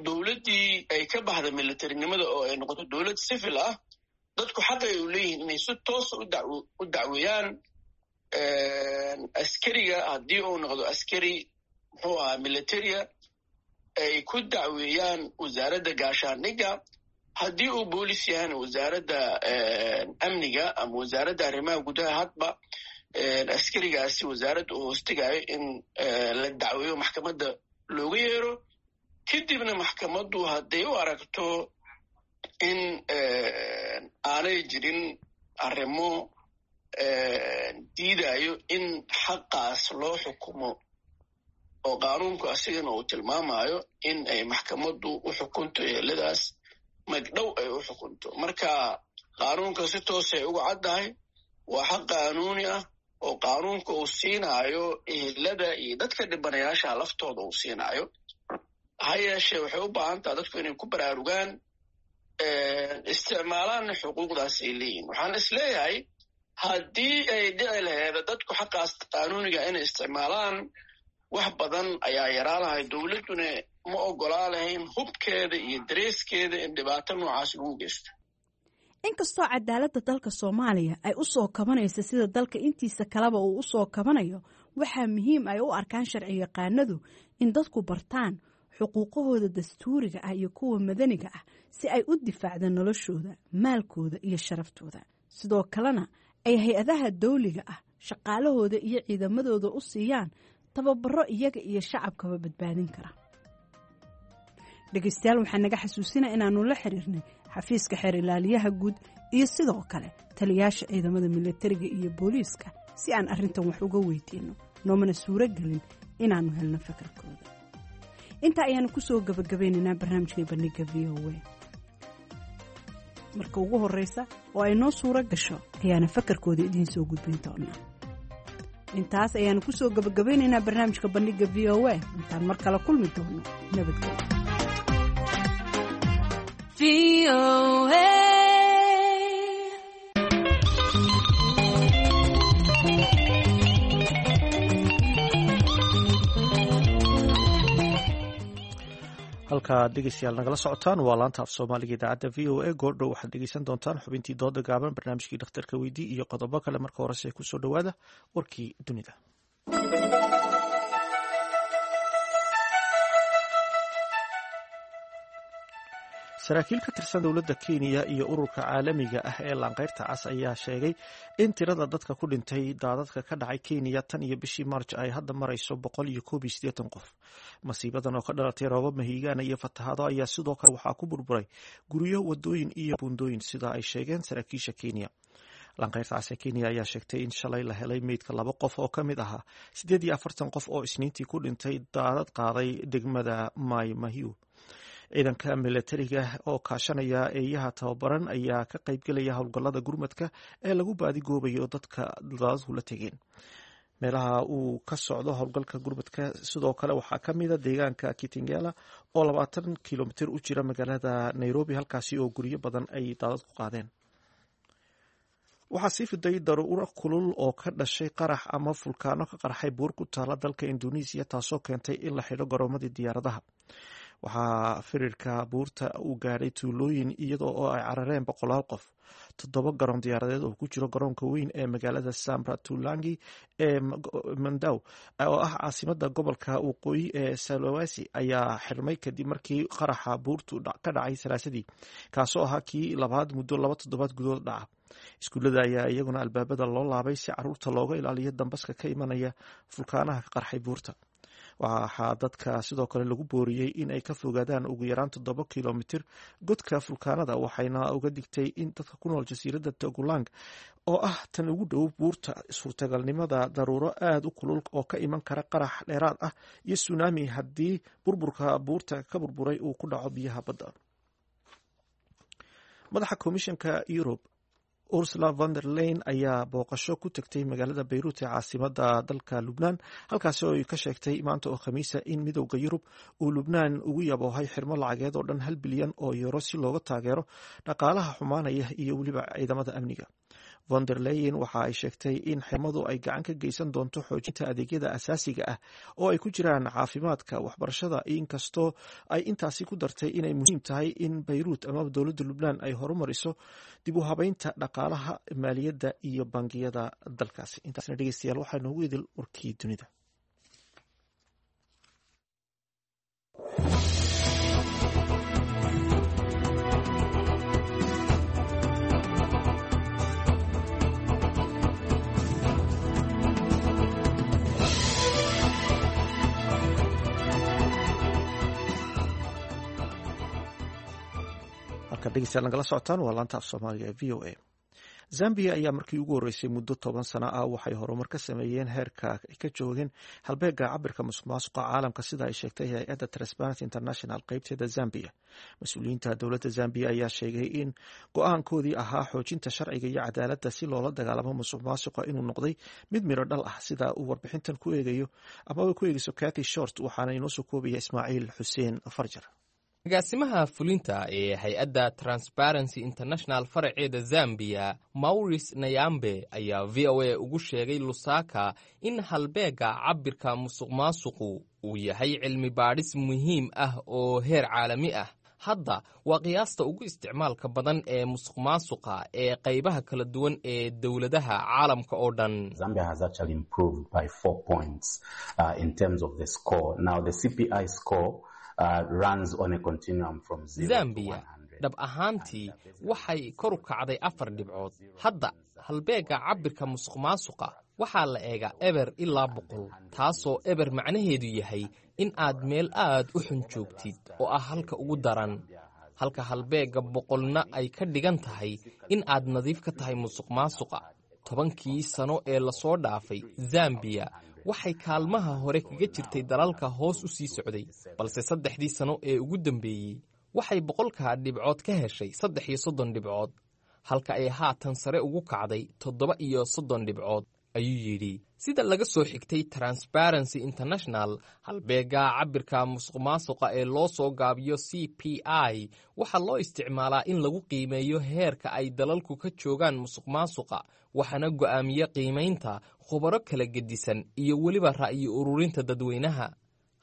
dowladdii ay ka baxda militarinimada oo ay noqoto dowlad civil ah, dadku xaqa ay u leeyihiin inay si toosa u dacweeyaan askariga haddii uu noqdo askari muxuu ahaa militaria, ay ku dacweeyaan wasaaradda gaashaandhigga, haddii uu boolis yahana wasaaradda amniga ama wasaaradda arrimaha gudaha, hadba askarigaasi wasaaradda uu hoostegayo in la dacweeyo, maxkamadda looga yeero. Kadibna maxkamaddu hadday u aragto in aanay jirin arrimo diidayo in xaqaas loo xukumo oo qaanuunku asigana uu tilmaamayo in ay maxkamaddu u xukunto eheladaas magdhow ay u xukunto. Marka qaanuunka si toosay uga caddahay, waa xaq qaanuuni ah oo qaanuunka uu siinaayo ehelada iyo dadka dhibanayaasha laftooda uu siinaayo. Ha yeeshee waxay u baahan taha dadku inay ku baraarugaan, isticmaalaanna xuquuqdaas ay leeyihin. Waxaan is leeyahay haddii ay dhici laheeda dadku xaqaas qaanuuniga inay isticmaalaan, wax badan ayaa yaraa lahay, dowladduna ma oggolaa lahayn hubkeeda iyo dareeskeeda in dhibaato noocaas lagu geysto. Inkastoo cadaaladda dalka Soomaaliya ay u soo kabanayso sida dalka intiisa kaleba uu u soo kabanayo, waxaa muhiim ay u arkaan sharci yaqaanadu in dadku bartaan xuquuqahooda dastuuriga ah iyo kuwa madaniga ah si ay u difaacdaan noloshooda, maalkooda iyo sharaftooda, sidoo kalena ay hay-adaha dawliga ah shaqaalahooda iyo ciidamadooda u siiyaan tababaro iyaga iyo shacabkaba badbaadin kara. Dhegeystayaal, waxaa naga xasuusinaa inaannu la xiriirnay xafiiska xeer ilaaliyaha guud iyo sidoo kale taliyaasha ciidamada militariga iyo booliiska si aan arrintan wax uga weydiinno, noomana suuro gelin inaannu helno fakarkooda. Intaa ayaanu kusoo gabagabeynaynaa barnaamijkai bandhiga V O A. Marka ugu horeysa oo ay noo suuro gasho ayaana fakarkooda idiin soo gudbin doonaa. Intaas ayaanu kusoo gabagabeynaynaa barnaamijka bandhiga V O A. Intaan mar kale kulmi doono, nabadgelyo. Halkaad dhegeystayaal nagala socotaan waa laanta af Soomaaliga idaacadda V O A. Goordhow waxaad dhegeysan doontaan xubintii dooda gaaban, barnaamijkii dhakhtarka weydii iyo qodobo kale. Marka horese kusoo dhowaada warkii dunida. Saraakiil ka tirsan dowladda Kenya iyo ururka caalamiga ah ee Laanqeyrta Cas ayaa sheegay in tirada dadka ku dhintay daadadka ka dhacay Kenya tan iyo bishii March ay hadda marayso boqol iyo koob iyo siddeetan qof. Masiibadan oo ka dhalatay roobab mahiigaana iyo fatahaado ayaa sidoo kale waxaa ku burburay guryo, wadooyin iyo buundooyin, sida ay sheegeen saraakiisha Kenya. Laanqeyrta Cas ee Kenya ayaa sheegtay in shalay la helay meydka laba qof oo ka mid ahaa siddeed iyo afartan qof oo Isniintii ku dhintay daadad qaaday degmada Mai Mahiu. Ciidanka milatariga oo kaashanaya eeyaha tababaran ayaa ka qaybgelaya howlgallada gurmadka ee lagu baadigoobayo dadka daadadku la tegeen. Meelaha uu ka socdo howlgalka gurmadka sidoo kale waxaa ka mida deegaanka Kitengela oo labaatan kilomitir u jira magaalada Nairobi, halkaasi oo guryo badan ay daadadku qaadeen. Waxaa sii fiday daruuro kulul oo ka dhashay qarax ama fulkaano ka qarxay buur ku taala dalka Indonesia, taasoo keentay in la xidho garoomadii diyaaradaha. Waxaa firirka buurta uu gaadhay tuulooyin iyadoo oo ay carareen boqolaal qof. Toddoba garoon diyaaradeed oo ku jiro garoonka weyn ee magaalada Samratulangi ee Mandaw oo ah caasimada gobolka waqooyi ee Sulawesi ayaa xirmay kadib markii qaraxa buurtu ka dhacay Salaasadii, kaasoo ahaa kii labaad muddo laba toddobaad gudood dhaca. Iskuullada ayaa iyaguna albaabada loo laabay si caruurta looga ilaaliyo dambaska ka imanaya fulkaanaha ka qarxay buurta. Waxaa dadka sidoo kale lagu booriyey in ay ka fogaadaan ugu yaraan toddoba kilomitir godka fulkaanada, waxayna uga digtay in dadka ku nool jasiiradda Togulang oo ah tan ugu dhow buurta suurtagalnimada daruuro aada u kulul oo ka iman kara qarax dheeraad ah iyo sunaami haddii burburka buurta ka burburay uu ku dhaco biyaha badda. Madaxa komishanka Yurub Ursula von der Leyen ayaa booqasho ku tagtay magaalada Beyruut ee caasimada dalka Lubnaan, halkaasi oo ay ka sheegtay maanta oo Khamiisa in Midowda Yurub uu Lubnaan ugu yaboohay xirmo lacageed oo dhan hal bilyan oo euro si looga taageero dhaqaalaha xumaanaya iyo weliba ciidamada amniga. Von der Leyen waxa ay sheegtay in xirmadu ay gacan ka geysan doonto xoojinta adeegyada asaasiga ah oo ay ku jiraan caafimaadka, waxbarashada, inkastoo ay intaasi ku dartay inay muhiim tahay in Beyruut amaba dowladda Lubnaan ay horumariso dib u habeynta dhaqaalaha, maaliyadda iyo bangiyada dalkaasi. Intaasna dhegeystayaal waxaa noogu idil warkii dunida. Dhegeystayaal nagala socotaan waa laanta af Soomaaliga ee V O A. Zambia ayaa markii ugu horreysay muddo toban sano ah waxay horumar ka sameeyeen heerka ay ka joogeen halbeegga cabirka musuqmaasuqa caalamka, sida ay sheegtay hay-adda Transparency International qeybteeda Zambia. Mas-uuliyiinta dowladda Zambia ayaa sheegay in go-aankoodii ahaa xoojinta sharciga iyo cadaaladda si loola dagaalamo musuqmaasuqa inuu noqday mid miro dhal ah, sida uu warbixintan ku eegayo amaba ku eegeyso Cathy Short, waxaana inoo soo koobaya Ismaaciil Xuseen Farjar. Agaasimaha fulinta ee hay-adda Transparency International faraceeda Zambiya, Maurice Nayambe, ayaa V O A ugu sheegay Lusaka in halbeegga cabbirka musuqmaasuqu uu yahay cilmi baadhis muhiim ah oo heer caalami ah. Hadda waa qiyaasta ugu isticmaalka badan ee musuqmaasuqa ee qaybaha kala duwan ee dowladaha caalamka oo dhan. Zambiya dhab ahaantii waxay kor u kacday afar dhibcood. Hadda halbeegga cabbirka musuqmaasuqa waxaa la eegaa eber ilaa boqol, taasoo eber macnaheedu yahay in aad meel aad u xun joogtid oo ah halka ugu daran, halka halbeegga boqolna ay ka dhigan tahay in aad nadiif ka tahay musuqmaasuqa. Tobankii sano ee lasoo dhaafay, Zambiya waxay kaalmaha hore kaga jirtay dalalka hoos u sii socday, balse saddexdii sano ee ugu dambeeyey waxay boqolka dhibcood ka heshay saddex iyo soddon dhibcood, halka ay haatan sare ugu kacday toddoba iyo soddon dhibcood, ayuu yidhi. Sida laga soo xigtay Transparency International, halbeegga cabbirka musuqmaasuqa ee loo soo gaabiyo C P I waxaa loo isticmaalaa in lagu qiimeeyo heerka ay dalalku ka joogaan musuqmaasuqa, waxaana go'aamiye qiimaynta khubaro kala gedisan iyo weliba ra'yi ururinta dadweynaha.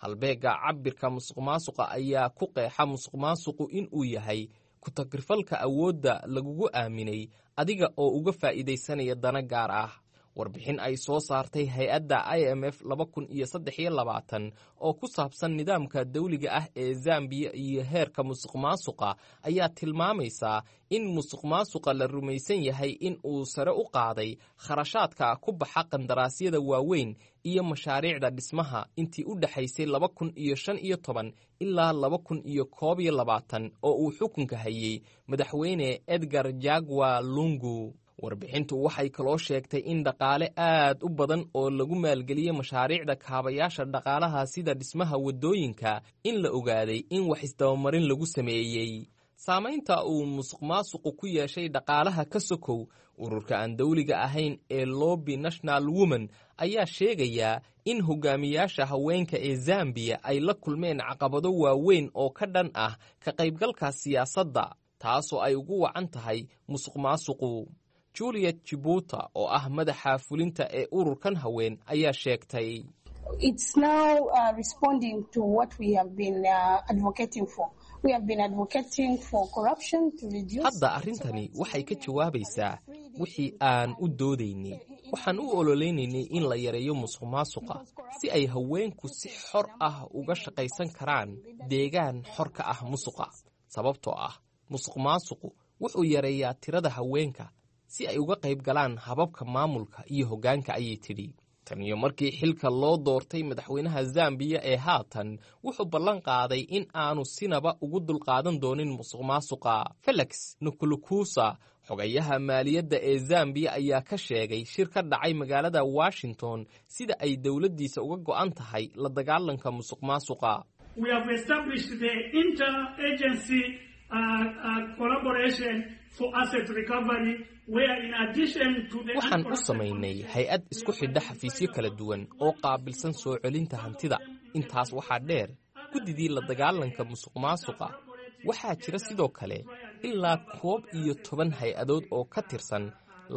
Halbeegga cabbirka musuqmaasuqa ayaa ku qeexa musuqmaasuqu inuu yahay ku-tagrifalka awoodda lagugu aaminay adiga oo uga faa'iidaysanaya dana gaar ah. Warbixin ay soo saartay hay-adda I M F laba kun iyo saddex iyo labaatan oo ku saabsan nidaamka dawliga ah ee Zambiya iyo heerka musuqmaasuqa ayaa tilmaamaysaa in musuqmaasuqa la rumaysan yahay in uu sare u qaaday kharashaadka ku baxa qandaraasyada waaweyn iyo mashaariicda dhismaha intii u dhexaysay laba kun iyo shan iyo toban ilaa laba kun iyo koob iyo labaatan oo uu xukunka hayey madaxweyne Edgar Jagwa Lungu. Warbixintu waxay kaloo sheegtay in dhaqaale aad u badan oo lagu maalgeliyey mashaariicda kaabayaasha dhaqaalaha sida dhismaha waddooyinka in la ogaaday in wax isdabamarin lagu sameeyey. Saamaynta uu musuqmaasuqu ku yeeshay dhaqaalaha ka sokow, ururka aan dawliga ahayn ee Lobby National Women ayaa sheegayaa in hogaamiyaasha haweenka ee Zambiya ay la kulmeen caqabado waaweyn oo ka dhan ah ka qaybgalka siyaasadda, taasoo ay ugu wacan tahay musuqmaasuqu. Juliet Chibuta oo ah madaxa fulinta ee ururkan haween ayaa sheegtay, hadda arrintani waxay ka jawaabaysaa wixii aan u doodaynay. Waxaan u ololeynaynay in la yareeyo musuqmaasuqa si ay haweenku si xor ah uga shaqaysan karaan deegaan xor ka ah musuqa, sababtoo ah musuqmaasuqu wuxuu yareeyaa tirada haweenka si ay uga qayb galaan hababka maamulka iyo hoggaanka, ayay tidhi. Tan iyo markii xilka loo doortay madaxweynaha Zambiya ee haatan, wuxuu ballan qaaday in aanu sinaba ugu dulqaadan doonin musuqmaasuqa. Felix Nkulukusa, xogayaha maaliyadda ee Zambiya, ayaa ka sheegay shir ka dhacay magaalada Washington sida ay dowladdiisa uga go'an tahay la dagaalanka musuqmaasuqa. Waxaan u samaynay hay-ad isku xidha xafiisyo kala duwan oo qaabilsan soo celinta hantida. Intaas waxaa dheer guddidii la dagaalanka musuqmaasuqa. Waxaa jira sidoo kale ilaa koob iyo toban hay-adood oo ka tirsan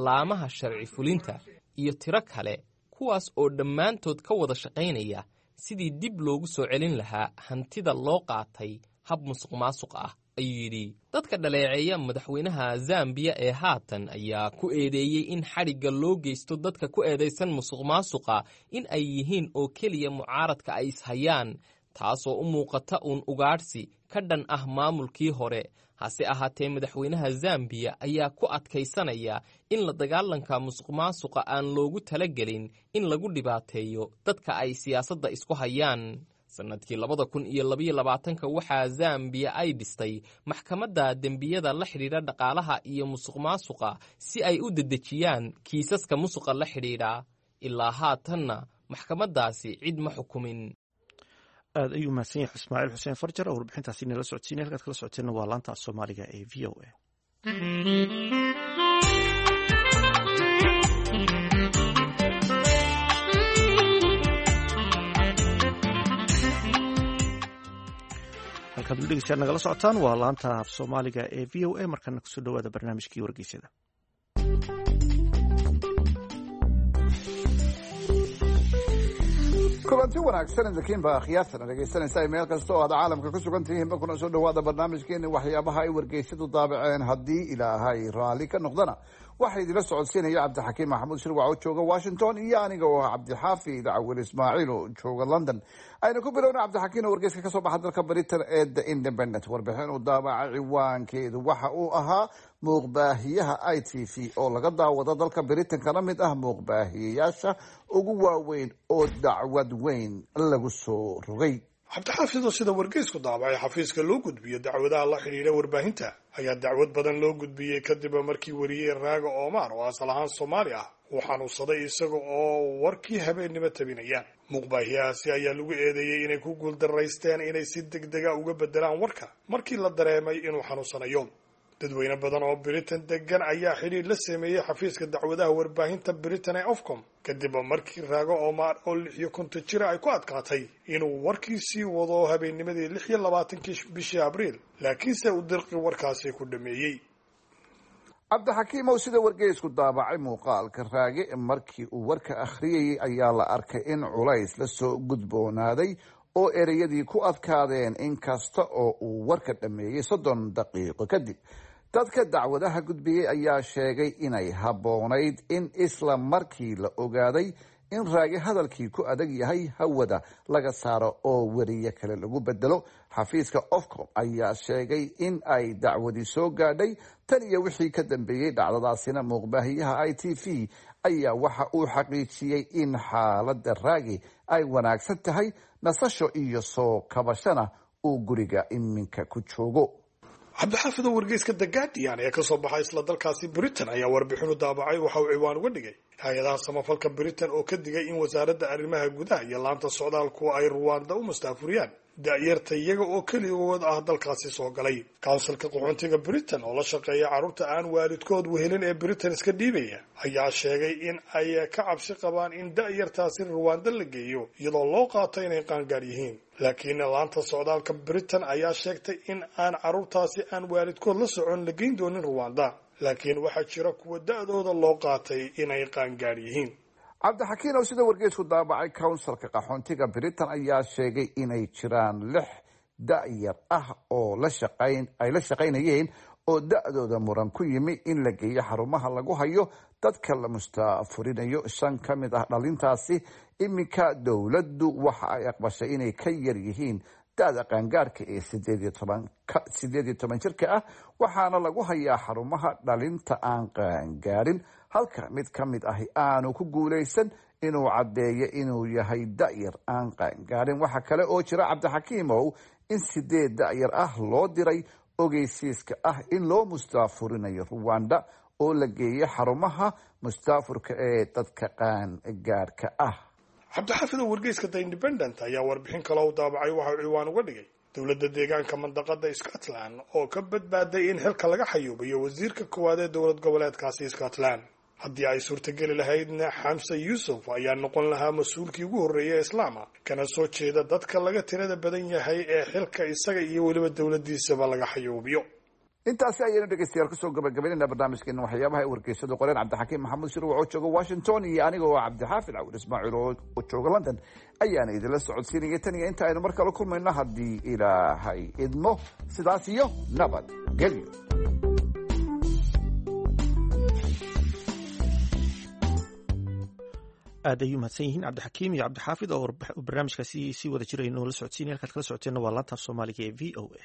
laamaha sharci fulinta iyo tiro kale, kuwaas oo dhammaantood ka wada shaqaynaya sidii dib loogu soo celin lahaa hantida loo qaatay hab musuqmaasuq ah, ayuu yidhi. Dadka dhaleeceeya madaxweynaha Zambiya ee haatan ayaa ku eedeeyey in xadhigga loo geysto dadka ku eedaysan musuqmaasuqa in ay yihiin oo keliya mucaaradka ay ishayaan, taasoo u muuqata uun ugaadhsi ka dhan ah maamulkii hore. Hase ahaatee madaxweynaha Zambiya ayaa ku adkaysanaya in la dagaalanka musuqmaasuqa aan loogu talagelin in lagu dhibaateeyo dadka ay siyaasadda isku hayaan. Sannadkii labada kun iyo labayo labaatanka waxaa Zambiya ay dhistay maxkamadda dembiyada la xidhiidha dhaqaalaha iyo musuqmaasuqa si ay u dedejiyaan kiisaska musuqa la xidhiidha. Ilaa haatanna maxkamaddaasi cid ma xukumin. Aad ayuu mahadsan yahay Ismaaciil Xuseen Farjar oo warbixintaasi nala socodsiinay. Halkaad kala socoteenna waa laanta af Soomaaliga ee V O A. Halkaad dhegeystayaal nagala socotaan waa laanta af Soomaaliga ee V O A. Markana kusoo dhawaada barnaamijkii wargeysyada. Kulanti wanaagsan idinkiinba akhyaartana dhegaysanaysa meel kasta oo aad caalamka ku sugan tihiinba, kuna soo dhawaada barnaamijkeeni waxyaabaha ay wargeysadu daabaceen. Haddii Ilaahay raalli ka noqdana waxaa idila socodsiinaya Cabdixakiim Maxamuud Shirwac oo jooga Washington iyo aniga oo ah Cabdixaafid Cawil Ismaaciil oo jooga London. Aynu ku bilowna Cabdixakiin oo wargeyska kasoo baxa dalka Britain ee The Independent warbixin uu daabacay ciwaankeedu waxa uu ahaa muuqbaahiyaha I T V oo laga daawado dalka Britain kana mid ah muuqbaahiyayaasha ugu waaweyn oo dacwad weyn lagu soo rogay. Cabdixaafid oo sida wargeysku daabacay xafiiska loo gudbiyo dacwadaha la xidhiidha warbaahinta ayaa dacwad badan loo gudbiyey kadib markii wariyey Raaga Omar oo asal ahaan Soomaali ah uu xanuunsaday isaga oo warkii habeennimo tabinaya. Muuqbaahiyahaasi ayaa lagu eedeeyey inay ku guuldaraysteen inay si degdega uga bedelaan warka markii la dareemay inuu xanuunsanayo. Dadweyne badan oo Britain degan ayaa xidhiir la sameeyey xafiiska dacwadaha warbaahinta Britain ee Ofcom kadib markii Raago Omar oo lix iyo konton jira ay ku adkaatay inuu warkii sii wado habeennimadii lix iyo labaatankii bishii Abriil, laakiinse uu dirqi warkaasi ku dhameeyey. Cabdixakiimow, sida wargeysku daabacay, muuqaalka Raage markii uu warka akhriyayay ayaa la arkay in culays la soo gudboonaaday oo ereyadii ku adkaadeen, in kasta oo uu warka dhammeeyey soddon daqiiqo kadib. Dadka dacwadaha gudbiyey ayaa sheegay inay habboonayd in isla markii la ogaaday in Raage hadalkii ku adag yahay hawada laga saaro oo weriye kale lagu bedelo. Xafiiska Ofcom ayaa sheegay in ay dacwadii soo gaadhay. Tan iyo wixii ka dambeeyey dhacdadaasina, muuqbaahiyaha I T V ayaa waxa uu xaqiijiyey in xaaladda Raage ay wanaagsan tahay, nasasho iyo soo kabashana uu guriga iminka ku joogo. Cabdixaafid, oo wargeyska The Guardian ee kasoo baxay isla dalkaasi Britain ayaa warbixinu daabacay waxa uu ciwaan uga dhigay hay-adaha samafalka Britain oo ka digay in wasaaradda arrimaha gudaha iyo laanta socdaalku ay Ruwanda u mustaafuriyaan da'yarta iyaga oo keligood ah dalkaasi soo galay. Kawnsilka qaxoontiga Britain oo la shaqeeya carruurta aan waalidkood wehelin ee Britain iska dhiibaya ayaa sheegay in ay ka cabsi qabaan in da'yartaasi Ruwanda la geeyo iyadoo loo qaato inay qaangaar yihiin. Laakiin laanta socdaalka Britain ayaa sheegtay in aan carruurtaasi aan waalidkood la socon la geyn doonin Ruwanda, laakiin waxaa jira kuwa da'dooda loo qaatay inay qaangaar yihiin. Cabdixakiin, oo sida wargeysku daabacay, counsilka qaxoontiga Britain ayaa sheegay inay jiraan lix da'yar ah oo la shaqayn ay la shaqaynayeen oo da'dooda muran ku yimi in la geeyo xarumaha lagu hayo dadka la mustaafurinayo. Shan ka mid ah dhalintaasi iminka dowladdu waxa ay aqbashay inay ka yar yihiin da'da qaangaarka ee sideed iyo toban sideed iyo toban jirka ah, waxaana lagu hayaa xarumaha dhalinta aan qaangaarin, halka mid ka mid ahi aanu ku guulaysan inuu caddeeyo inuu yahay da'yar aan qaangaarin. Waxa kale oo jira, Cabdixakiimow, in sideed da'yar ah loo diray ogeysiiska ah in loo mustaafurinayo Ruwanda oo la geeyay xarumaha mustaafurka ee dadka qaangaarka ah. Cabdixaafid, oo wargeyska The Independent ayaa warbixin kale u daabacay waxa uu ciwaan uga dhigay dowladda deegaanka mandaqada Scotland oo ka badbaaday in xilka laga xayuubiyo wasiirka koowaad ee dowlad goboleedkaasi Scotland. Haddii ay suurtageli lahaydna, Xamse Yuusuf ayaa noqon lahaa mas-uulkii ugu horreeya islaama kana soo jeeda dadka laga tirada badan yahay ee xilka isaga iyo weliba dowladdiisaba laga xayuubiyo. Intaasi ayaynu, dhegeystayaal, kusoo gabagabaynayna barnaamijkeena waxyaabaha ay wargeysadu qoreen. Cabdixakiim Maxamuud Shirwac oo jooga Washington iyo aniga oo Cabdixaafid Cawil Ismaaciil oo jooga London ayaana idinla socodsiinaya. Tan iyo inta aynu mar kale kulmayno, haddii Ilaahay idmo, sidaas iyo nabad gelyo. Aad ayuu mahadsan yihiin Cabdixakiim iyo Cabdixaafid oo barnaamijkaasi si wada jira inoola socodsiinay. Halkaad kala socoteenna waa laanta af Soomaaliga ee V O A.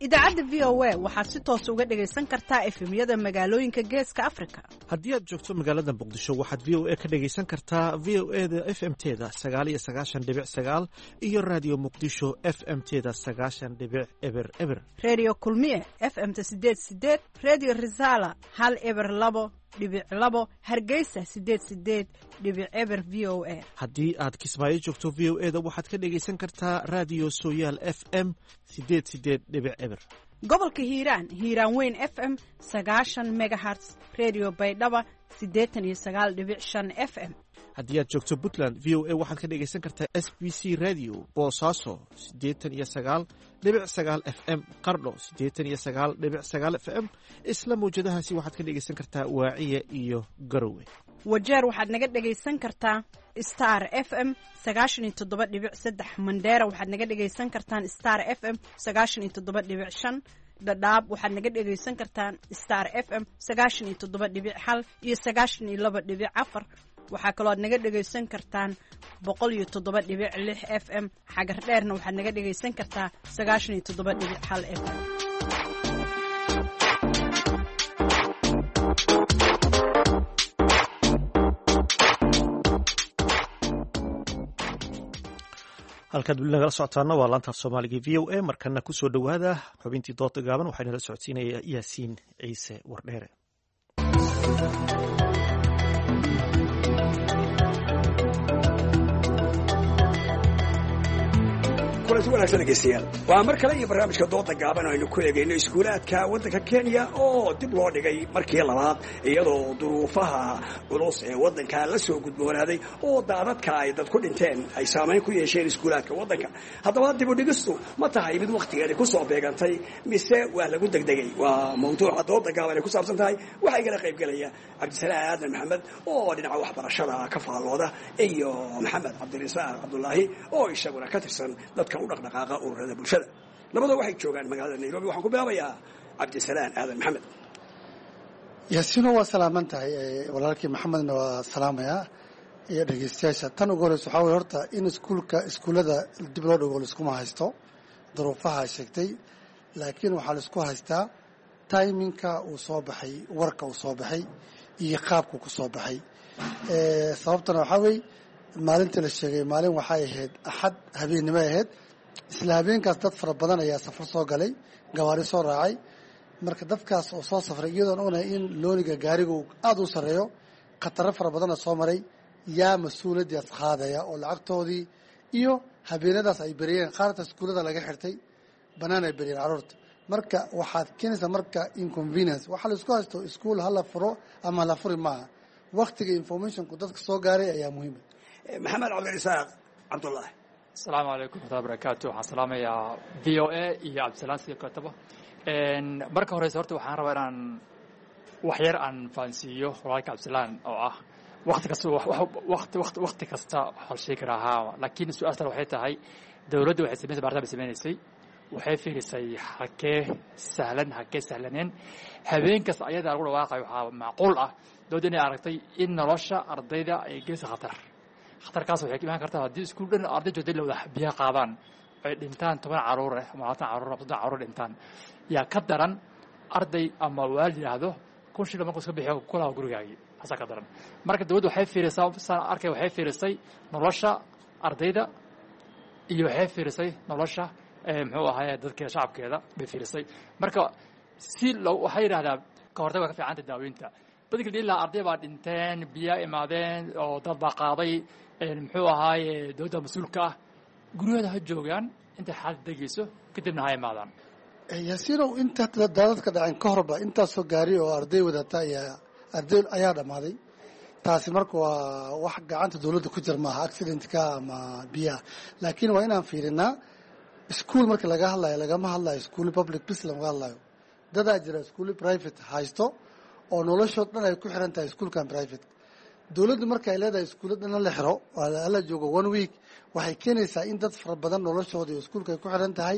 Idaacadda V O A waxaad si toos uga dhagaysan kartaa F M-yada magaalooyinka Geeska Afrika. Haddii aad joogto magaalada Muqdisho, waxaad V O A ka dhagaysan kartaa V O E da F M teda sagaal iyo sagaashan dhibic sagaal iyo Raadiyo Muqdisho F M teda sagaashan dhibic eber eber. Reediyo Kulmiye F M-ta sideed sideed, Reediyo Risaala hal eber labo dhibic labo, Hargeysa sideed sideed dhibic eber V O A. Haddii aad Kismaayo joogto, V O E da waxaad ka dhagaysan kartaa Raadiyo Sooyaal F M sideed sideed dhibic eber. Gobolka Hiiraan, Hiiraan Weyn F M sagaashan megahertz, Reediyo Baydhaba siddeetan iyo sagaal dhibic shan F M. Haddii aad joogto Puntland, V O A waxaad ka dhagaysan kartaa S B C Radio Boosaaso siddeetan iyo sagaal dhibic sagaal F M, Qardho siddeetan iyo sagaal dhibic sagaal F M. Isla mawjadahaasi waxaad ka dhagaysan kartaa Waaciya iyo Garowe. Wajeer waxaad naga dhagaysan kartaa Star F M sagaashan iyo toddoba dhibic saddex. Mandheera waxaad naga dhagaysan kartaan Star F M sagaashan iyo toddoba dhibic shan. Dhadhaab waxaad naga dhagaysan kartaan Star F M sagaashan iyo toddoba dhibic hal iyo sagaashan iyo laba dhibic afar. Waxaa kaloo aad naga dhagaysan kartaan boqol iyo toddoba dhibic lix F M. Xagar Dheerna waxaad naga dhagaysan kartaa sagaashan iyo toddoba dhibic hal F M. Halkaad weli nagala socotaana waa laantaaf Soomaaliga V O A. Markana kusoo dhowaada xubintii dooda gaaban, waxaa inala socodsiinaya Yaasiin Ciise Wardheere. Kulanti wanaagsan dhegeystayaal, waa mar kale iyo barnaamijka dooda gaaban oo aynu ku eegayno iskuulaadka waddanka Kenya oo dib loo dhigay markii labaad, iyadoo duruufaha culus ee waddanka la soo gudboonaaday oo daadadka ay dad ku dhinteen ay saamayn ku yeesheen iskuulaadka waddanka. Haddaba dib u dhigistu ma tahay mid wakhtigeedi ku soo beegantay mise waa lagu degdegay? Waa mawduuca dooda gaaban ay ku saabsan tahay. Waxaa igala qaybgelaya Cabdisalaan Aadan Maxamed oo dhinaca waxbarashada ka faallooda iyo Maxamed Cabdirasaaq Cabdulaahi oo isaguna ka tirsan dadka u dhaqdhaqaaqa ururada bulshada. Labada waxay joogaan magaalada Nairobi. Waxaan ku bilaabayaa Cabdisalaan Aadan Maxamed. Yaasiino, waa salaaman tahay, walaalkii Maxamedna waa salaamayaa iyo dhegeystayaasha. Tan ugu horeysa waxaa weye horta in iskuulka iskuullada dib loo dhigo laiskuma haysto duruufaha sheegtay, laakiin waxaa laisku haystaa timinka uu soo baxay, warka uu soo baxay iyo qaabku ku soo baxay. Sababtana waxaa weye maalintii la sheegay maalin waxay ahayd Axad habeennimo ahayd. Isla habeenkaas dad fara badan ayaa safar soo galay, gawaari soo raacay. Marka dadkaas oo soo safray, iyadoon ognahay in looniga gaariga uu aada u sarreeyo, khataro fara badanna soo maray, yaa mas-uuliyaddaas qaadaya oo lacagtoodii iyo habeenadaas ay beriyeen? Qaarta iskuullada laga xirtay, bannaan ay beriyeen carruurta. Marka waxaad keenaysaa marka inconvenience. Waxaa la isku haysto iskuul hala furo ama hala furi maaha, waktiga informationku dadka soo gaaray ayaa muhiima. Maxamed Cabdirasaaq Cabdulaahi. Asalaamu calaykum waraxmatullahi barakaatu. Waxaan salaamayaa V O A iyo Cabdisalaan sidoo kaleetaba. Marka horeyse horta waxaan rabaa inaan wax yar aan fahansiiyo walaalka Cabdisalaan oo ah waqti kasta waqti waqti waqti kasta waxaa la sheegi karaa haa, laakiin su-aastan waxay tahay dowladda waxay samaysay baaritaan bay sameynaysay, waxay fiirisay halkee sahlan halkee sahlaneen. Habeen kasta ayadaa lagu dhawaaqayo waxaa macquul ah dowladda inay aragtay in nolosha ardayda ay gelisa khatar. Khatarkaas waxay ka imaan kartaa haddii iskuul dhan arday joogtay la wada biyaha qaadaan, ay dhintaan toban caruur eh ama labaatan caruur ama soddon caruur dhintaan, yaa ka daran arday ama waalid yidhaahdo kun shilin markuu iska bixiyo kulaha gurigaagii, taasaa ka daran. Marka dowladda waxay fiirisaa, saan arkay, waxay fiirisay nolosha ardayda iyo waxay fiirisay nolosha muxuu ahaye dadka shacabkeeda bay fiirisay. Marka si loo waxay yidhahdaa ka hortag waa ka fiicanta daaweynta. Badilka ilaa arday baa dhinteen, biyaa imaadeen oo dad baa qaaday, muxuu ahaaye dowladda mas-uulka ah guryahooda ha joogaan intay xaalad degayso, kadibna ha imaadaan. Yaasiinow, inta daadadka dhaceen ka horba intaasoo gaari oo arday wadata ayaa arday ayaa dhammaaday. Taasi marka waa wax gacanta dowladda ku jir maaha, accidentka ama biyaha, laakiin waa inaan fiirinaa iskuol marka laga hadlayo. Lagama hadlayo iskuuli public bis lamaga hadlayo. Dadaa jira iskuuli private haysto oo noloshood dhan ay ku xiran tahay iskuulkan private. Dowladdu marka ay leedahay iskuulla dhan la xiro hala joogo one week, waxay keenaysaa in dad fara badan noloshooda iyo iskuulka ay ku xiran tahay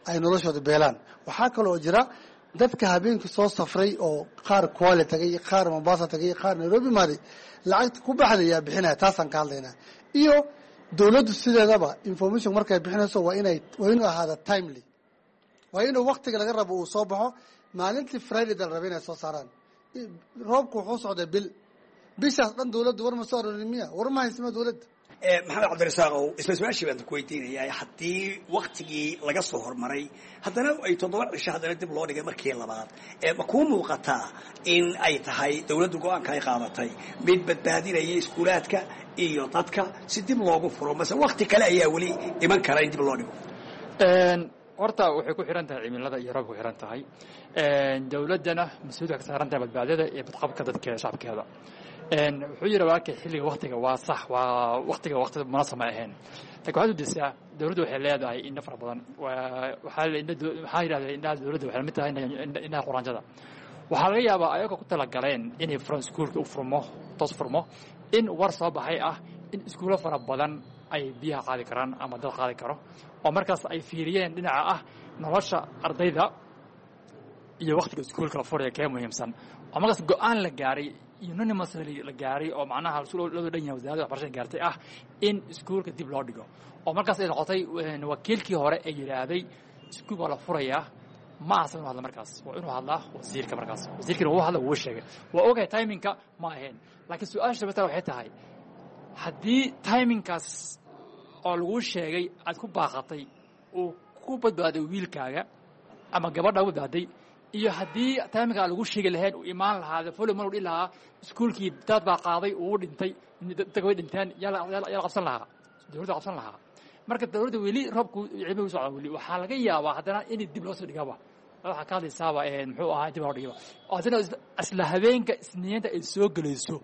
ay noloshooda beelaan. Waxaa kaloo jira dadka habeenkii soo safray oo qaar Kwale tagay, qaar Mombasa tagay, qaar Nairobi maaday, lacagta ku baxday yaa bixinaya? Taasaan ka hadlaynaa. Iyo dowladdu sideedaba information markay bixinayso waa inay waa inuu ahaada timely, waa inuu waktiga laga rabo uu soo baxo. Maalintii Friday da la rabay inay soo saaraan, roobku wuxuu socday bil, bishaas dhan dowladdu war ma soo arorin miya? War ma haysama dowladda? Maxamed Cabdirasaaqow, isla su-aashii baan ku weydiinayaa. Haddii waktigii laga soo hormaray haddana ay toddoba cisho haddana dib loo dhigay markii labaad, ma kuu muuqataa in ay tahay dowladdu go-aanka ay qaadatay mid badbaadinaya iskuulaadka iyo dadka si dib loogu furo, mase wakti kale ayaa weli iman kara in dib loo dhigo? Horta waxay ku xiran tahay cimilada iyo roobka ku xiran tahay. Dowladdana mas-uuliyad waxay ka saaran tahay badbaadada iyo badqabka dadkeeda shacabkeeda. Wuxuu yidhi walaalkay xilliga waktiga waa sax, waa waktiga wakti munaasab ma ahayn, laakiin waxaad udisaa dowladdu waxay leedahay indho fara badan. Waxaa waxaa yidhahdeen indhaha dowladda waxay lamid tahay indhaha quraanjada. Waxaa laga yaabaa ayagoo ku talagaleen inay furan iskuulka u furmo toos furmo, in war soo baxay ah in iskuulo fara badan ay biyaha qaadi karaan ama dad qaadi karo, oo markaas ay fiiriyeen dhinaca ah nolosha ardayda iyo waktiga iskuulka la furaya kee muhiimsan, oo markaas go-aan la gaaray unanimously la gaaray oo macnaha loo dhan yahay wasaaradda waxbarashada gaartay ah in iskuulka dib loo dhigo, oo markaas ay noqotay wakiilkii hore ee yidhaahday iskuulka waa la furayaa. Ma ahsan inuu hadla markaas, waa inuu hadlaa wasiirka. Markaas wasiirkiina wuu hadla, wuu sheegay, waa ogahay timinka ma ahayn, laakiin su-aasha matala waxay tahay haddii timinkaas oo laguu sheegay aad ku baaqatay uu ku badbaaday wiilkaaga ama gabadha badbaaday, iyo haddii tayminka aan lagu sheegi lahayn uu imaan lahaa folo mar dhihi lahaa iskuulkii daad baa qaaday uu dhintay, dadka way dhinteen, yaa la qabsan lahaa, dowladda qabsan lahaa. Marka dowladda weli roobku cilmi u socda, weli waxaa laga yaabaa haddana in dib loo soo dhigaba. Waxaa ka hadlaysaaba muxuu ahaa dib loo dhigaba, oo haddana isla habeenka isniinta ay soo gelayso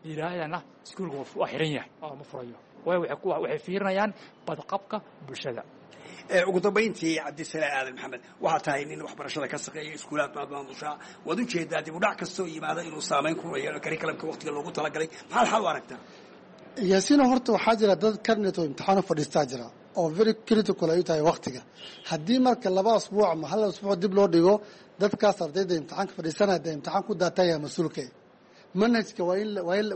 yidhaahdana iskuulka waa xiran yahay oo ma furayo, waayo waxay fiirinayaan badqabka bulshada. Ugu dambayntii Cabdisalaan Aadan Maxamed, waxaa tahay nin waxbarashada ka shaqeeya, iskuulaad baad maamushaa, waad ujeedaa dib u dhac kastoo yimaada inuu saameyn ku yeelo curriculumka waqtiga loogu talagalay. Maxaad xal u aragtaa? Yaasiino, horta waxaa jira dad karnet oo imtixaan u fadhiistaa jira oo very critical ay u tahay waqtiga. Haddii marka laba asbuuc ama hal asbuuc dib loo dhigo, dadkaas ardayda imtixaanka fadhiisanaya dee imtixaan ku daataya mas-uulka. Manhajka waa in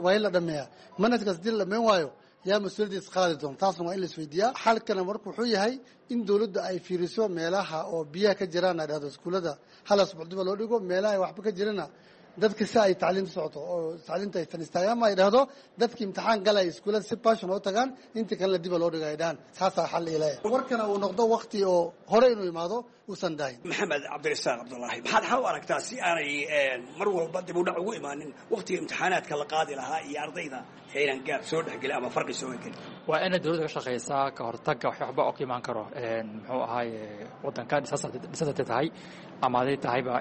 waa in la dhameeyaa. Manhajkaas haddii la dhameyn waayo, yaa mas-uuliyaddiis qaadi doona? Taasna waa in la isweydiiyaa. Xalkana marka wuxuu yahay in dowladda ay fiiriso meelaha oo biyaha ka jiraan, ay dhahdo iskuullada hal asbuuc diba loo dhigo, meelaha ay waxba ka jirana dadka si ay tacliinta socoto oo tacliinta aysan istaagin, ama ay dhahdo dadki imtixaan galaya iskuullada si passion oo tagaan, inta kalena diba loo dhigo ay dhahaan. Saasaa xal ilaya warkana uu noqdo waqti oo hore inuu imaado uusan daahin. Maxamed Cabdirasaaq Cabdullaahi, maxaad xal u aragtaa si aanay mar walba dib u dhac ugu imaanin waqtiga imtixaanaadka la qaadi lahaa iyo ardayda aynan gaab soo dhexgelin ama farqi soo gelin? Waa inay dowladda ka shaqeysaa ka hortagga wax waxba oo ka imaan karo muxuu ahaaye waddanka dhisasatay tahay ama haday tahayba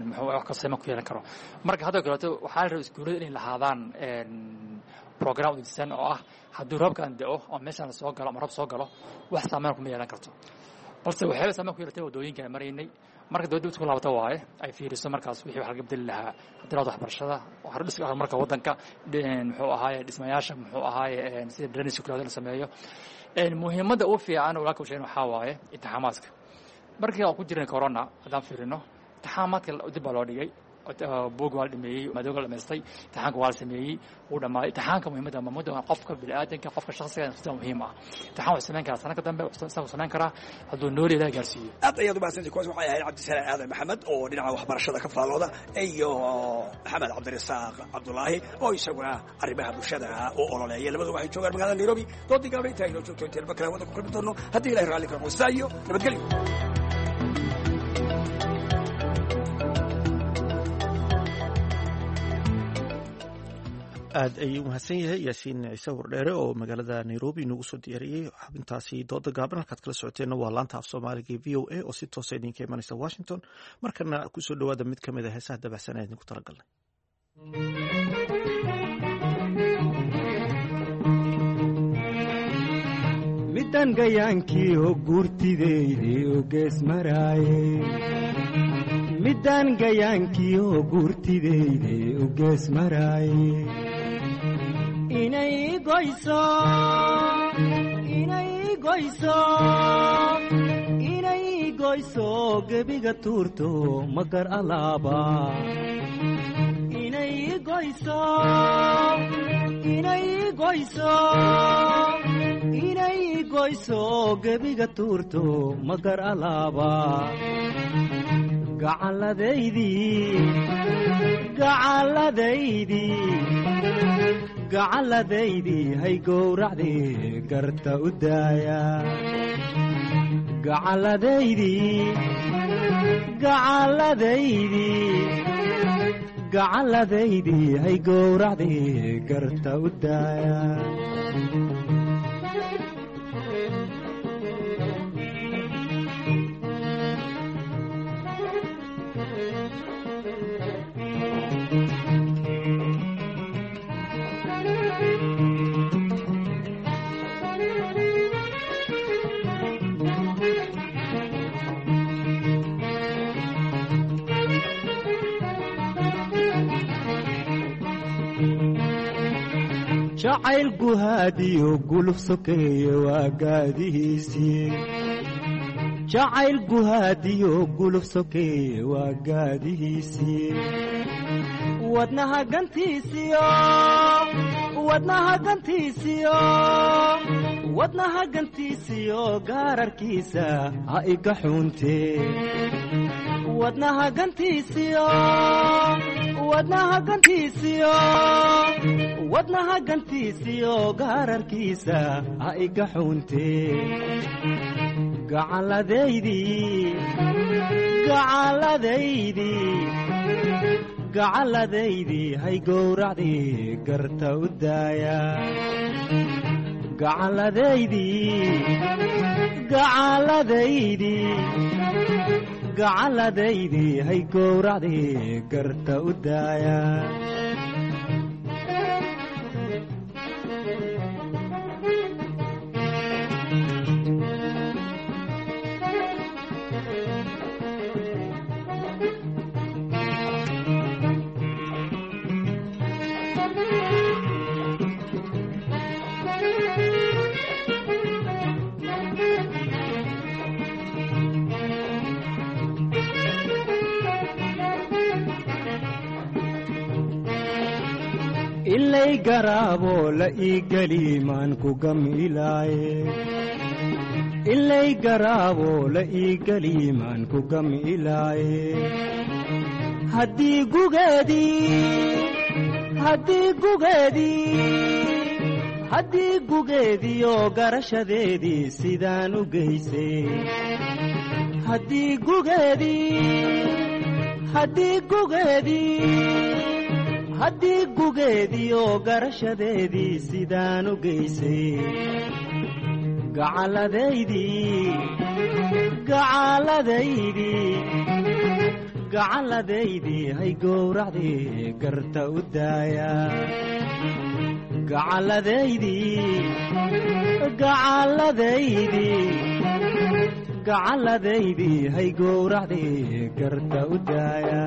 muxuu wax ka saameyn ku yeelan karo. Marka hadda kaleeto waxaa la rabaa iskuullada inay lahaadaan program udejisan oo ah haddii roobkan da'o oo meeshaan la soo galo ama roob soo galo, wax saameyn kuma yeelan karto, balse waxyaaba saameyn ku yeelatay waddooyinka aan maraynay. Marka dowladda isku laabata waaye ay fiiriso markaas wixii wax laga bedeli lahaa haddii laado waxbarashada, dhiska horumarka waddanka, muxuu ahaaye dhismayaasha, muxuu ahaaye sida drainage kulaado la sameeyo. Muhiimadda ugu fiican walaalka u sheegin waxaa waaye imtixaamaadka. Markii aan ku jirnay corona, haddaan fiirino imtixaamaadka dib baa loo dhigay, buug waa la dhameeyey, madooga la dhamaystay, imtixaanka waa la sameeyey, wuu dhamaaday imtixaanka. Muhiimadda muhiimadda waa qofka bini'aadanka, qofka shakhsiga sida muhiim ah. Imtixaan wuxuu samayn karaa sanadka dambe, wuxuu samayn karaa hadduu nool Ilaahay gaarsiiyo. Aad ayaad umahadsantii. Kuwaas waxay ahayd Cabdisalaan Aadan Maxamed oo dhinaca waxbarashada ka faallooda iyo Maxamed Cabdirasaaq Cabdulaahi oo isaguna arrimaha bulshada u ololeeya. Labadu waxay joogaan magaalada Nairobi. Doodii gaabna intaa inoo joogto, inteen mar kale waddanka ku kulmi doono haddii Ilahay raalli ka noqdo, sidaa iyo nabadgelyo. Aad ayuu umahadsan yahay Yaasiin Ciise Wardheere oo magaalada Nairobi inoogu soo diyaariyey xubintaasi dooda gaaban. Halkaad kala socoteenna waa laanta af Soomaaliga e V O A oo si toosa idinka imanaysa Washington. Markana kusoo dhawaada mid ka mid a heesaha dabacsan ee idinku talagalnay. Midan gayaankiiho guurtideydi u gees maraaye, midaan gayaankiiho guurtideydi u gees maraaye, inay goyso, inay goyso, inay goyso gebiga tuurto magar alaaba, inay goyso, inay goyso, inay goyso gebiga tuurto magar alaaba. Gacalladaydii, gacalladaydii, gacalladaydii hay gowracdii garta u daaya. Gacalladaydii, gacalladaydii, gacalladaydii hay gowracdii garta u daaya. Jacayl guhaadiyo guluf sokeeye waa gaadihiisii, jacayl guhaadiyo guluf sokeeye waa gaadihiisii. Wadnaha gantiisiyo, wadnaha gantiisiyo, wadnaha gantiisiyo gaararkiisa ha iga xuuntee. Wadnaha gantiisiyo, wadnaha gantiisiyo, wadnaha gantiisiyo, gaararkiisa ha iga xuuntee. Gacalladaydii, gacalladaydii, gacalladaydii, hay gowracdii garta u daaya. Gacalladaydii, gacalladaydii, gacalladaydii, hay gowracdii garta u daaya. Ilay garaabo la ii geli maan ku gamilaaye, ilay garaabo la ii geli maan ku gamilaaye. Haddii gugeedii, haddii gugeedii, haddii gugeediyo garashadeedii sidaan u geysay, haddii gugeedii, haddii gugeedii, haddii gugeediyo garashadeedii sidaan u geysay, gacalladaydii, gacalladaydii, gacalladaydii, hay gowracdii garta u daaya. Gacalladaydii, gacalladaydii, gacalladaydii, hay gowracdii garta u daaya.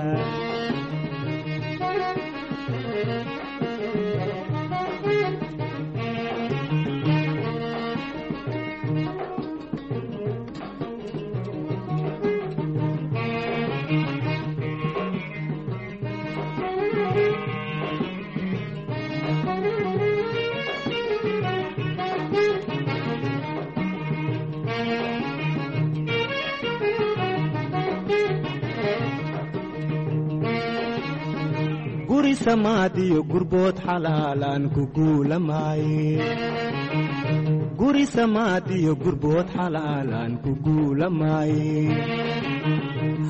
Guri samaadiyo gurbood xalaalaan ku guulamaaye, guri samaadiyo gurbood xalaalaan ku guulamaaye.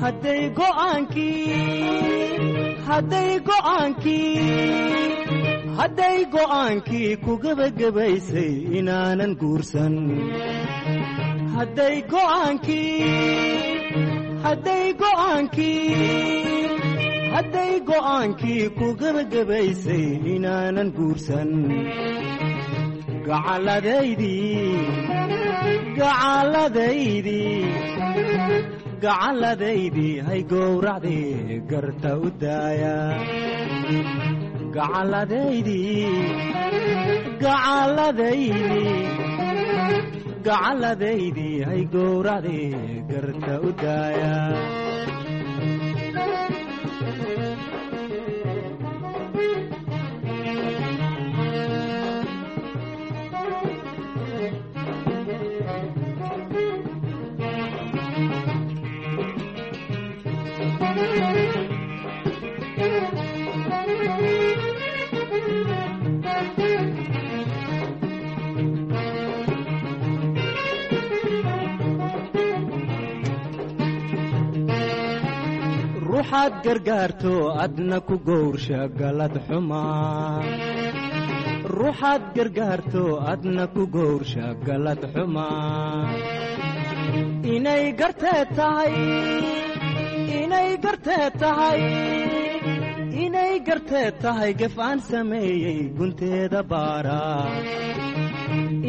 Hadday go'aankii, hadday go'aankii, hadday go'aankii ku gebagabaysay inaanan guursan, hadday go'aankii, hadday go'aankii, hadday go'aankii ku gebagabaysay inaanan guursan, gacalladaydii, gacalladaydii, gacalladaydii, hay gowracdii garta u daaya. Gacalladaydii, gacalladaydii, gacalladaydii, hay gowracdii garta u daaya. Ruuxaad gargaarto adna ku gowrsha galad xumaa, ruuxaad gargaarto adna ku gowrsha galad xumaa. Inay gartee tahay, inay gartee tahay, inay gartee tahay gef aan sameeyey gunteeda baara.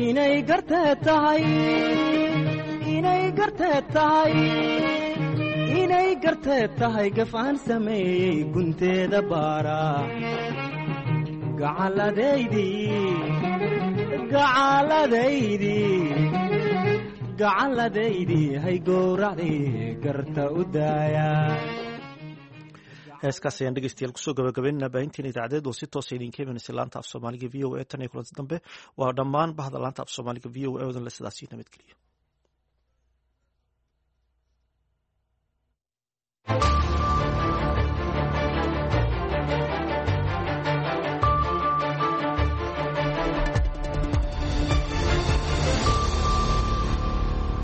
Inay gartee tahay, inay gartee tahay, inay gartee tahay gaf aan sameeyey gunteeda baara. Gacalladaydii, gacalladaydii, gacalladaydii, hay gowracdii garta u daaya. Heeskaas ayaan dhegeystayaal kusoo gabagabeynana baahinteena idaacadeed oo si toosa idinka imanaysa laanta af Soomaaliga V O A. Tan iyo kulanti dambe, waa dhammaan bahda laanta af Soomaaliga V O A odan le sidaasi nabadgeliyo.